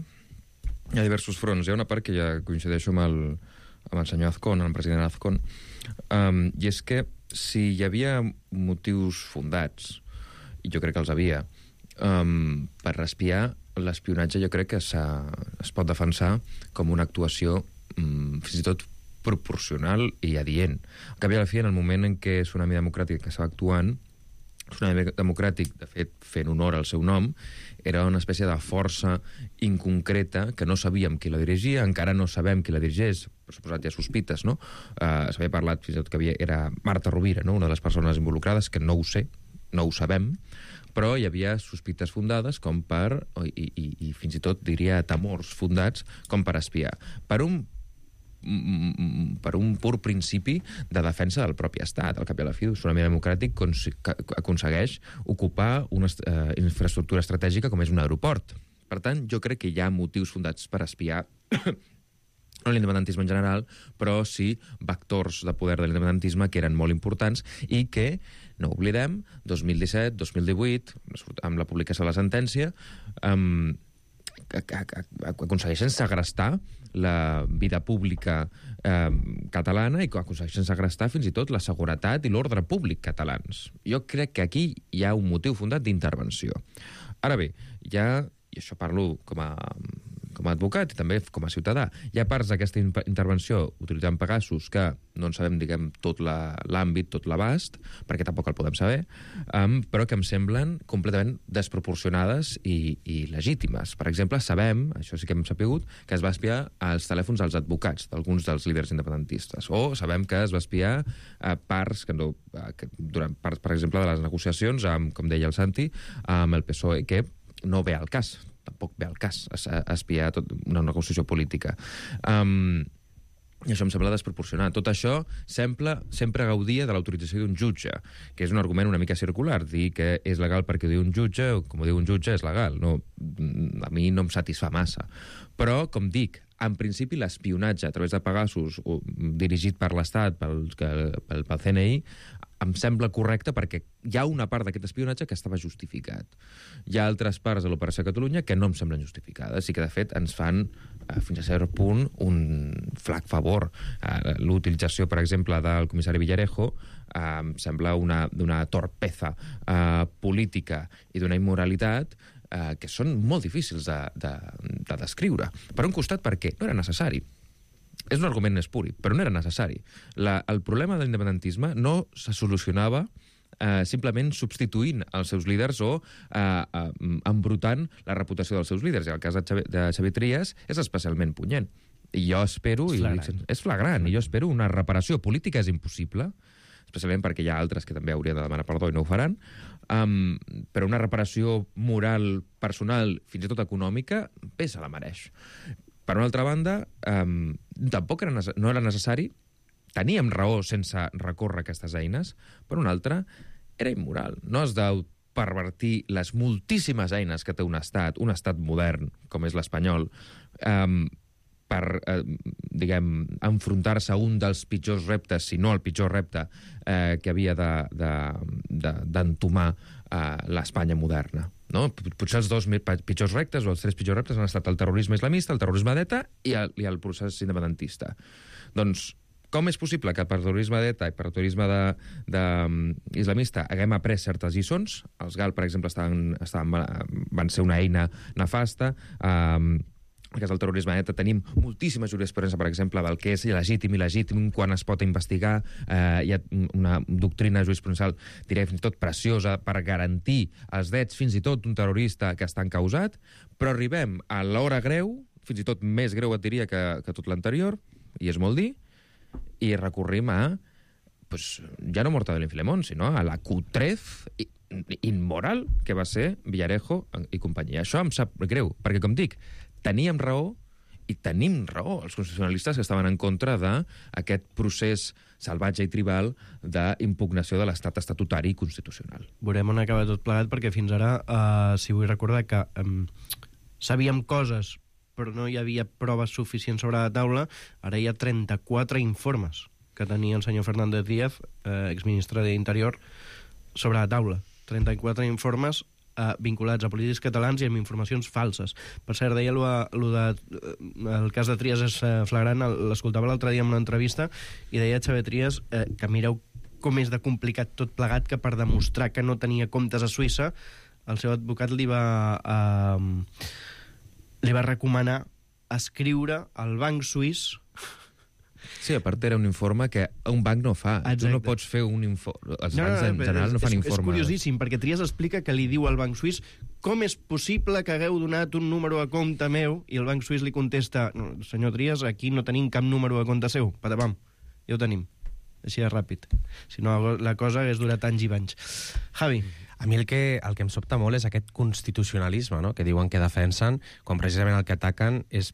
hi ha diversos fronts. Hi ha una part que ja coincideixo amb el senyor Azcón, el president Azcón, i és que si hi havia motius fundats, i jo crec que els havia, per espiar, l'espionatge jo crec que es pot defensar com una actuació fins i tot proporcional i adient. Al cap i a la fi, en el moment en què Tsunami Democràtic estava actuant, Tsunami Democràtic, de fet, fent honor al seu nom, era una espècie de força inconcreta que no sabíem qui la dirigia, encara no sabem qui la dirigeix, per suposat hi ha sospites, no? S'havia parlat fins i tot que era Marta Rovira, no? Una de les persones involucrades, que no ho sé, no ho sabem, però hi havia sospites fundades com per, i fins i tot diria temors fundats, com per espiar. Per un pur principi de defensa del propi estat. Al cap i a la fi, Tsunami Democràtic aconsegueix ocupar una infraestructura estratègica com és un aeroport. Per tant, jo crec que hi ha motius fundats per espiar no l'independentisme en general, però sí vectors de poder de l'independentisme que eren molt importants i que, no oblidem, 2017, 2018, amb la publicació de la sentència, aconsegueixen segrestar la vida pública catalana i aconsegueixen segrestar fins i tot la seguretat i l'ordre públic catalans. Jo crec que aquí hi ha un motiu fundat d'intervenció. Ara bé, i això parlo com a advocat i també com a ciutadà, hi ha parts d'aquesta intervenció utilitzant Pegasus que no en sabem, diguem, tot l'àmbit, tot l'abast, perquè tampoc el podem saber, però que em semblen completament desproporcionades i legítimes. Per exemple, sabem, això sí que hem sapigut, que es va espiar els telèfons dels advocats d'alguns dels líders independentistes, o sabem que es va espiar parts, durant parts, per exemple, de les negociacions, com deia el Santi, amb el PSOE, que no ve al cas, tampoc ve al cas espiar tot una negociació política. I això em sembla desproporcionat. Tot això sempre gaudia de l'autorització d'un jutge, que és un argument una mica circular. Dir que és legal perquè ho diu un jutge, o com ho diu un jutge, és legal. No, a mi no em satisfà massa. Però, com dic, en principi l'espionatge a través de Pegasus dirigit per l'Estat, pel CNI, em sembla correcte perquè hi ha una part d'aquest espionatge que estava justificat. Hi ha altres parts de l'Operació Catalunya que no em semblen justificades i que, de fet, ens fan, fins a cert punt, un flac favor. L'utilització, per exemple, del comissari Villarejo em sembla d'una torpeza política i d'una immoralitat que són molt difícils de descriure. Per un costat, perquè no era necessari. És un argument espuri, però no era necessari. El problema de l'independentisme no se solucionava simplement substituint els seus líders o embrutant la reputació dels seus líders. I el cas de Xavier Trias és especialment punyent. I jo espero... És flagrant. I jo espero una reparació política. És impossible, especialment perquè hi ha altres que també haurien de demanar perdó i no ho faran, però una reparació moral, personal, fins i tot econòmica, bé se la mereix. Per una altra banda, tampoc no era necessari, teníem raó sense recórrer aquestes eines, per una altra, era immoral. No has de pervertir les moltíssimes eines que té un estat modern, com és l'espanyol, per, diguem, enfrontar-se a un dels pitjors reptes, si no el pitjor repte que havia d'entomar l'Espanya moderna. No? Potser els dos pitjors reptes o els tres pitjors reptes han estat el terrorisme islamista, el terrorisme d'ETA i el procés independentista. Doncs, com és possible que per terrorisme d'ETA i per terrorisme islamista haguem après certes lliçons? Els GAL, per exemple, van ser una eina nefasta. En el cas del terrorisme d'ETA tenim moltíssima jurisprudència, per exemple, del que és il·legítim i il·legítim quan es pot investigar. Hi ha una doctrina jurisprudencial, diré, fins i tot preciosa, per garantir els drets fins i tot d'un terrorista que està encausat, però arribem a l'hora greu, fins i tot més greu et diria que tot l'anterior, i és molt dir, i recorrim a, ja no Mortadelo i Filemón, sinó a la cutrez immoral que va ser Villarejo i companyia. Això em sap greu, perquè, com dic, teníem raó i tenim raó els constitucionalistes que estaven en contra d'aquest procés salvatge i tribal d'impugnació de l'estat estatutari i constitucional. Veurem on acaba tot plegat, perquè fins ara, si vull recordar que sabíem coses però no hi havia proves suficients sobre la taula, ara hi ha 34 informes que tenia el senyor Fernández Díaz, exministre d'Interior, sobre la taula. 34 informes vinculats a polítics catalans i amb informacions falses. Per cert, deia el cas de Trias és flagrant, l'escoltava l'altre dia en una entrevista i deia Xavier Trias que mireu com és de complicat tot plegat, que per demostrar que no tenia comptes a Suïssa el seu advocat li va recomanar escriure al banc suís Sí, a part era un informe que un banc no fa. Exacte. Tu no pots fer un informe... Els bancs en general no fan informes. És curiosíssim, perquè Trias explica que li diu al Banc Suís com és possible que hagueu donat un número a compte meu, i el Banc Suís li contesta, no, senyor Trias, aquí no tenim cap número a compte seu, patapam, ja ho tenim. Així de ràpid. Si no, la cosa hagués durat anys i anys. Javi. A mi el que em sobta molt és aquest constitucionalisme, no?, que diuen que defensen, quan precisament el que ataquen és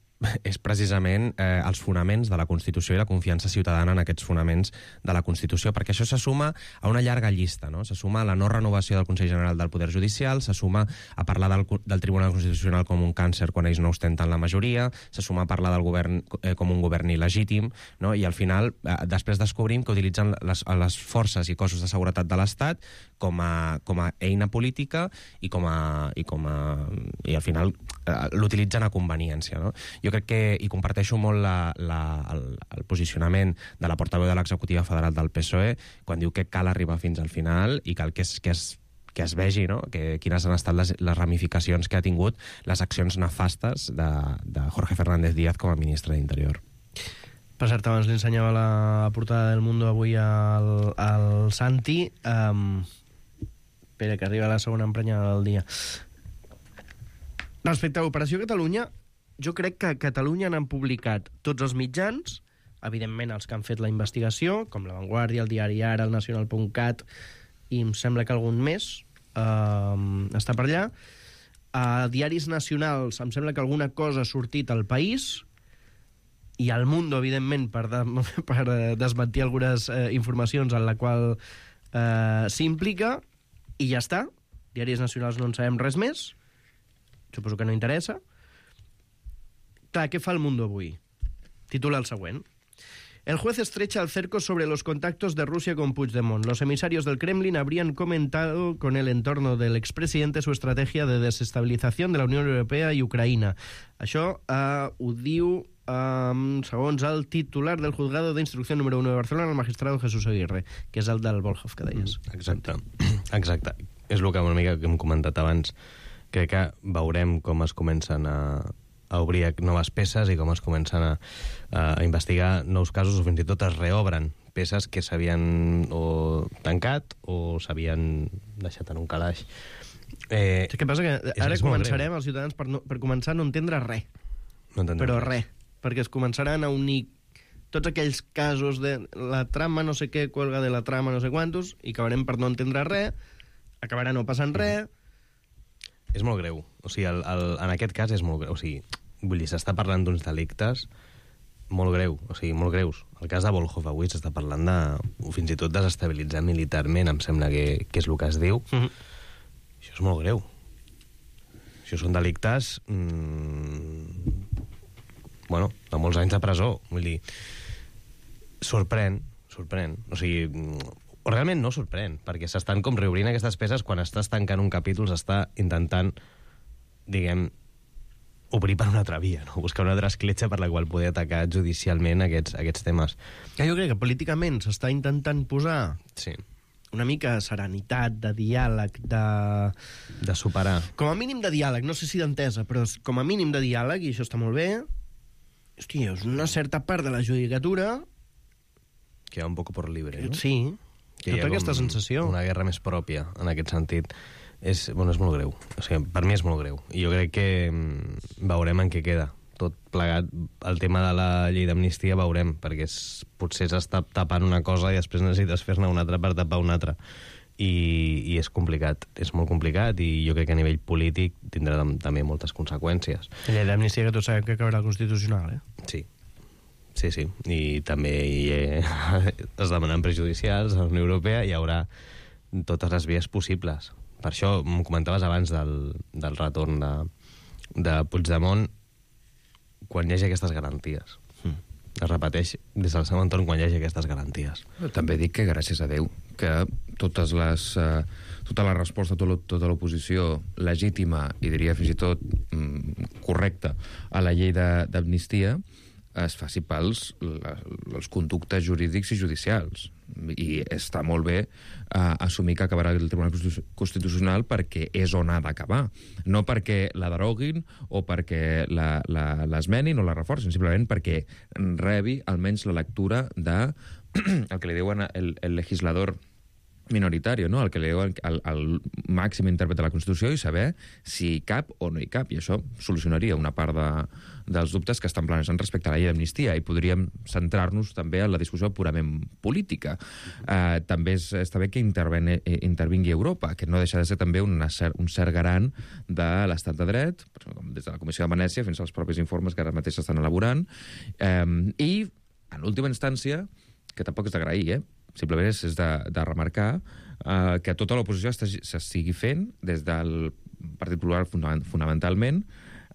precisament els fonaments de la Constitució i la confiança ciutadana en aquests fonaments de la Constitució, perquè això se suma a una llarga llista, no? Se suma a la no renovació del Consell General del Poder Judicial, se suma a parlar del Tribunal Constitucional com un càncer quan ells no ostenten la majoria, se suma a parlar del govern com un govern il·legítim, no? I al final després descobrim que utilitzen les forces i cossos de seguretat de l'Estat com a eina política i al final l'utilitzen a conveniència, no? Jo crec que, i comparteixo molt el posicionament de la portaveu de l'executiva federal del PSOE quan diu que cal arribar fins al final i cal que es vegi, no?, quines han estat les ramificacions que ha tingut les accions nefastes de Jorge Fernández Díaz com a ministre d'Interior. Per cert, abans li ensenyava la portada del Mundo avui al Santi. Espera, que arriba la segona emprenyada del dia. Respecte a l'Operació Catalunya, jo crec que a Catalunya n'han publicat tots els mitjans, evidentment els que han fet la investigació, com La Vanguardia, el Diari Ara, el Nacional.cat, i em sembla que algun més està per allà. A diaris nacionals em sembla que alguna cosa ha sortit al País, i al Mundo, evidentment, per desmentir algunes informacions en la qual s'implica, i ja està. Diaris nacionals no en sabem res més, suposo que no interessa. Clar, què fa el Mundo avui? Titula el següent. El juez estrecha el cerco sobre los contactos de Rusia con Puigdemont. Los emisarios del Kremlin habrían comentado con el entorno del expresidente su estrategia de desestabilización de la Unión Europea i Ucraïna. Això ho diu, segons el titular del juzgado de instrucción número 1 de Barcelona, el magistrado Jesús Aguirre, que és el del Volhov, que deies. Exacte. És el que una mica que hem comentat abans. Crec que veurem com es comencen a obrir noves peces i com es comencen a investigar nous casos, o fins i tot es reobren peces que s'havien o tancat o s'havien deixat en un calaix. Què passa? Que ara començarem, els ciutadans, per començar a no entendre res. Però res. Perquè es començaran a unir tots aquells casos de la trama no sé què, cuelga de la trama no sé quantos, i acabarem per no entendre res, acabarà no passant res. És molt greu. O sigui, en aquest cas és molt greu. O sigui, vull dir, s'està parlant d'uns delictes molt greu, o sigui, molt greus. El cas de Volhov avui s'està parlant de, fins i tot, desestabilitzar militarment, em sembla que és el que es diu. Això és molt greu. Això són delictes bueno, de molts anys de presó. Vull dir, sorprèn. O sigui, o realment no sorprèn, perquè s'estan com reobrint aquestes peces quan estàs tancant un capítol, s'està intentant, diguem, obrir per una altra via, no? Buscar una altra escletxa per la qual poder atacar judicialment aquests temes. Jo crec que políticament s'està intentant posar una mica de serenitat, de diàleg, de superar. Com a mínim de diàleg, no sé si d'entesa, però com a mínim de diàleg, i això està molt bé. Hòstia, és una certa part de la judicatura que va un poc por libre, no? Sí, tota aquesta sensació. Una guerra més pròpia, en aquest sentit. És molt greu. O sigui, per mi és molt greu. I jo crec que veurem en què queda. Tot plegat, el tema de la llei d'amnistia veurem, perquè potser s'està tapant una cosa i després necessites fer-ne una altra per tapar una altra. I és complicat. És molt complicat i jo crec que a nivell polític tindrà també moltes conseqüències. La llei d'amnistia que tots sabem que acabarà al Constitucional, Sí. Sí. I també es demanen prejudicials a la Unió Europea i hi haurà totes les vies possibles. Per això m'ho comentaves abans del retorn de Puigdemont, quan hi hagi aquestes garanties. Es repeteix des del seu entorn quan hi hagi aquestes garanties. També dic que, gràcies a Déu, que tota la resposta, tota l'oposició legítima i diria fins i tot correcta a la llei d'amnistia es faci pels conductes jurídics i judicials. I està molt bé assumir que acabarà el Tribunal Constitucional perquè és on ha d'acabar. No perquè la deroguin o perquè l'esmenin o la reforcin, simplement perquè rebi almenys la lectura de el que li diuen el legislador minoritari, no? El que li diuen el màxim intèrpret de la Constitució i saber si hi cap o no hi cap. I això solucionaria una part dels dubtes que estan planejant respecte a la llei d'amnistia i podríem centrar-nos també en la discussió purament política. També està bé que intervingui Europa, que no deixa de ser també un cert garant de l'estat de dret, des de la Comissió de Venècia fins als propis informes que ara mateix s'estan elaborant. I, en última instància, que tampoc és d'agrair, simplement és de remarcar que tota l'oposició s'estigui fent des del Partit Popular fonamentalment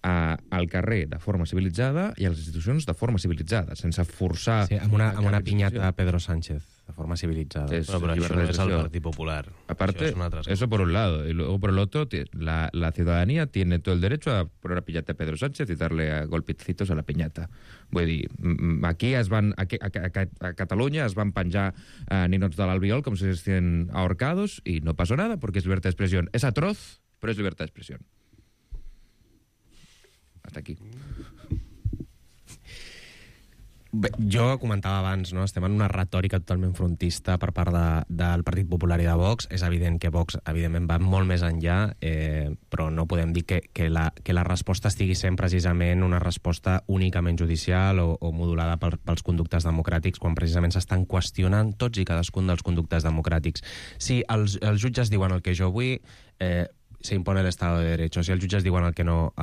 al carrer de forma civilitzada i a les institucions de forma civilitzada, sense forçar... Sí, amb una piñata a Pedro Sánchez, de forma civilizada. Pero eso no es el Partido Popular. Aparte, eso por un lado. Y luego por el otro, la ciudadanía tiene todo el derecho a poner una piñata a Pedro Sánchez y darle golpecitos a la piñata. Vull dir, aquí a Catalunya es van penjar ninots de l'Albiol com si estiguessin ahorcados y no pasó nada porque es libertad de expresión. Es atroz, pero es libertad de expresión. Hasta aquí. Bé, jo comentava abans, no? Estem en una retòrica totalment frontista per part del Partit Popular i de Vox. És evident que Vox, evidentment, va molt més enllà, però no podem dir que la resposta estigui sent precisament una resposta únicament judicial o modulada pels conductes democràtics, quan precisament s'estan qüestionant tots i cadascun dels conductes democràtics. Si els jutges diuen el que jo vull, se impone el Estado de Derecho. Si els jutges diuen el que no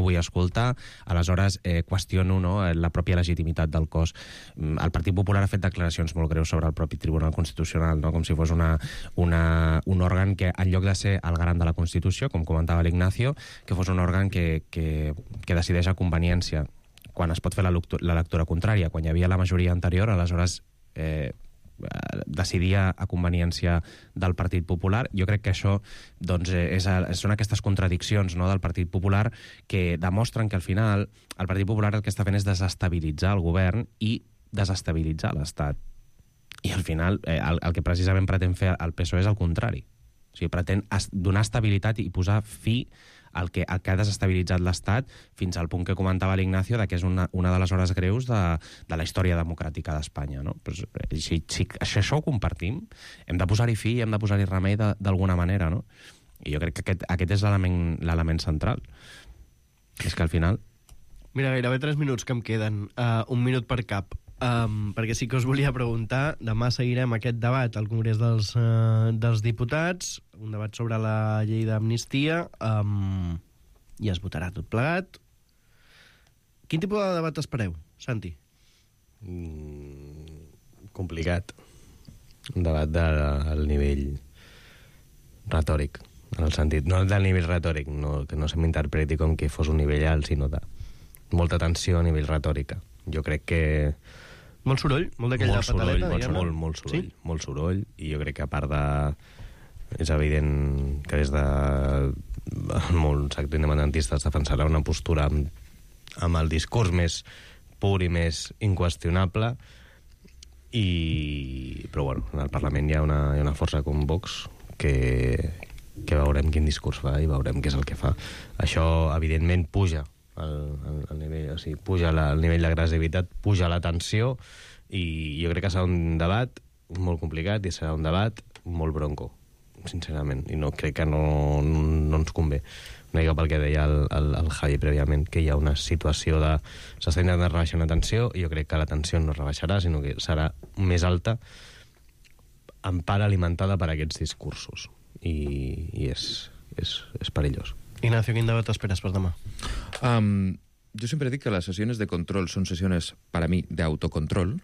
vull escoltar, aleshores qüestiono, no, la pròpia legitimitat del cos. El Partit Popular ha fet declaracions molt greus sobre el propi Tribunal Constitucional, no? Com si fos un òrgan que, en lloc de ser el garant de la Constitució, com comentava l'Ignacio, que fos un òrgan que decideix a conveniència. Quan es pot fer la lectura contrària, quan hi havia la majoria anterior, aleshores decidia a conveniència del Partit Popular. Jo crec que això doncs, són aquestes contradiccions, no, del Partit Popular que demostren que al final el Partit Popular el que està fent és desestabilitzar el govern i desestabilitzar l'Estat. I al final el que precisament pretén fer el PSOE és el contrari. O sigui, pretén donar estabilitat i posar fi al que ha desestabilitzat l'Estat fins al punt que comentava l'Ignacio que és una de les hores greus de la història democràtica d'Espanya. No? Pues, si això ho compartim, hem de posar-hi fi i hem de posar-hi remei d'alguna manera. No? I jo crec que aquest és l'element central. És que al final... Mira, gairebé 3 minuts que em queden. 1 minut per cap. Perquè sí que us volia preguntar, demà seguirem aquest debat al Congrés dels Diputats, un debat sobre la llei d'amnistia, i es votarà tot plegat. Quin tipus de debat espereu, Santi? Complicat. Un debat del nivell retòric, en el sentit, no del nivell retòric, que no se m'interpreti com que fos un nivell alt, sinó de molta tensió a nivell retòrica. Jo crec que... Molt soroll? Molt d'aquella pataleta, diguem-ne? Molt soroll, sí? Molt soroll, i jo crec que a part de... És evident que des de molts sector independentistes defensarà una postura amb el discurs més pur i més inqüestionable, però bueno, en el Parlament hi ha una força com Vox que veurem quin discurs fa i veurem què és el que fa. Això, evidentment, puja el nivell, o sigui, puja el nivell d'agressivitat, puja la tensió, i jo crec que serà un debat molt complicat i serà un debat molt bronco, sincerament, i no crec que no ens convé. Una mica pel que deia el Javi prèviament, que hi ha una situació de... S'està intentant rebaixar una tensió, i jo crec que la tensió no es rebaixarà, sinó que serà més alta, en part alimentada per aquests discursos, i és perillós. Ignacio, quin debat esperes per demà? Yo siempre digo que las sesiones de control son sesiones, para mí, de autocontrol.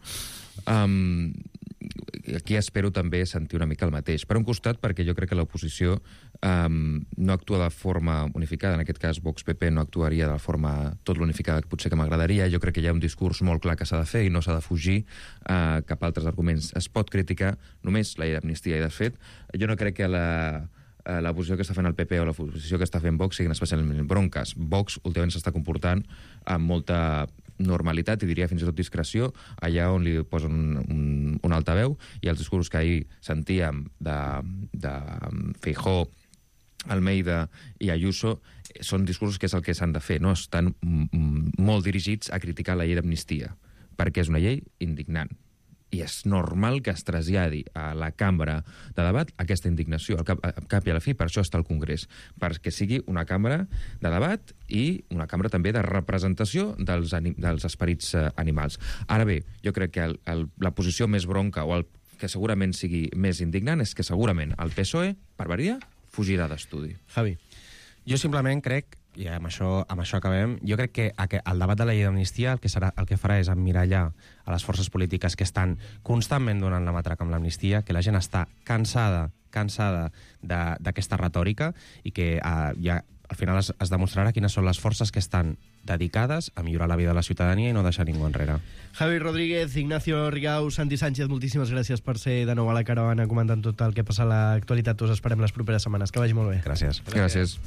Aquí espero també sentir una mica el mateix. Per un costat, perquè jo crec que l'oposició no actua de forma unificada. En aquest cas, Vox-PP no actuaria de la forma tot l'unificada que potser que m'agradaria. Jo crec que hi ha un discurs molt clar que s'ha de fer i no s'ha de fugir cap a altres arguments. Es pot criticar només la llei d'amnistia, i de fet, jo no crec que l'oposició que està fent el PP o l'oposició que està fent Vox siguin especialment bronques. Vox últimament s'està comportant amb molta normalitat, i diria fins i tot discreció, allà on li posen un altaveu, i els discursos que ahir sentíem de Feijóo, Almeida i Ayuso són discursos que és el que s'han de fer, no? Estan molt dirigits a criticar la llei d'amnistia, perquè és una llei indignant. I és normal que es traslladi a la cambra de debat aquesta indignació. Al cap i a la fi, per això està el Congrés, perquè sigui una cambra de debat i una cambra també de representació dels esperits animals. Ara bé, jo crec que la posició més bronca o el que segurament sigui més indignant és que segurament el PSOE, per variar, fugirà d'estudi. Javi. Jo simplement crec, i amb això acabem, jo crec que el debat de la llei d'amnistia el que farà és emmirallar a les forces polítiques que estan constantment donant la matraca amb l'amnistia, que la gent està cansada d'aquesta retòrica i que ja al final es demostrarà quines són les forces que estan dedicades a millorar la vida de la ciutadania i no deixar ningú enrere. Javi Rodríguez, Ignacio Rigau, Santi Sánchez, moltíssimes gràcies per ser de nou a la caravana comentant tot el que passa a l'actualitat. Us esperem les properes setmanes. Que vagi molt bé. Gràcies. Gràcies.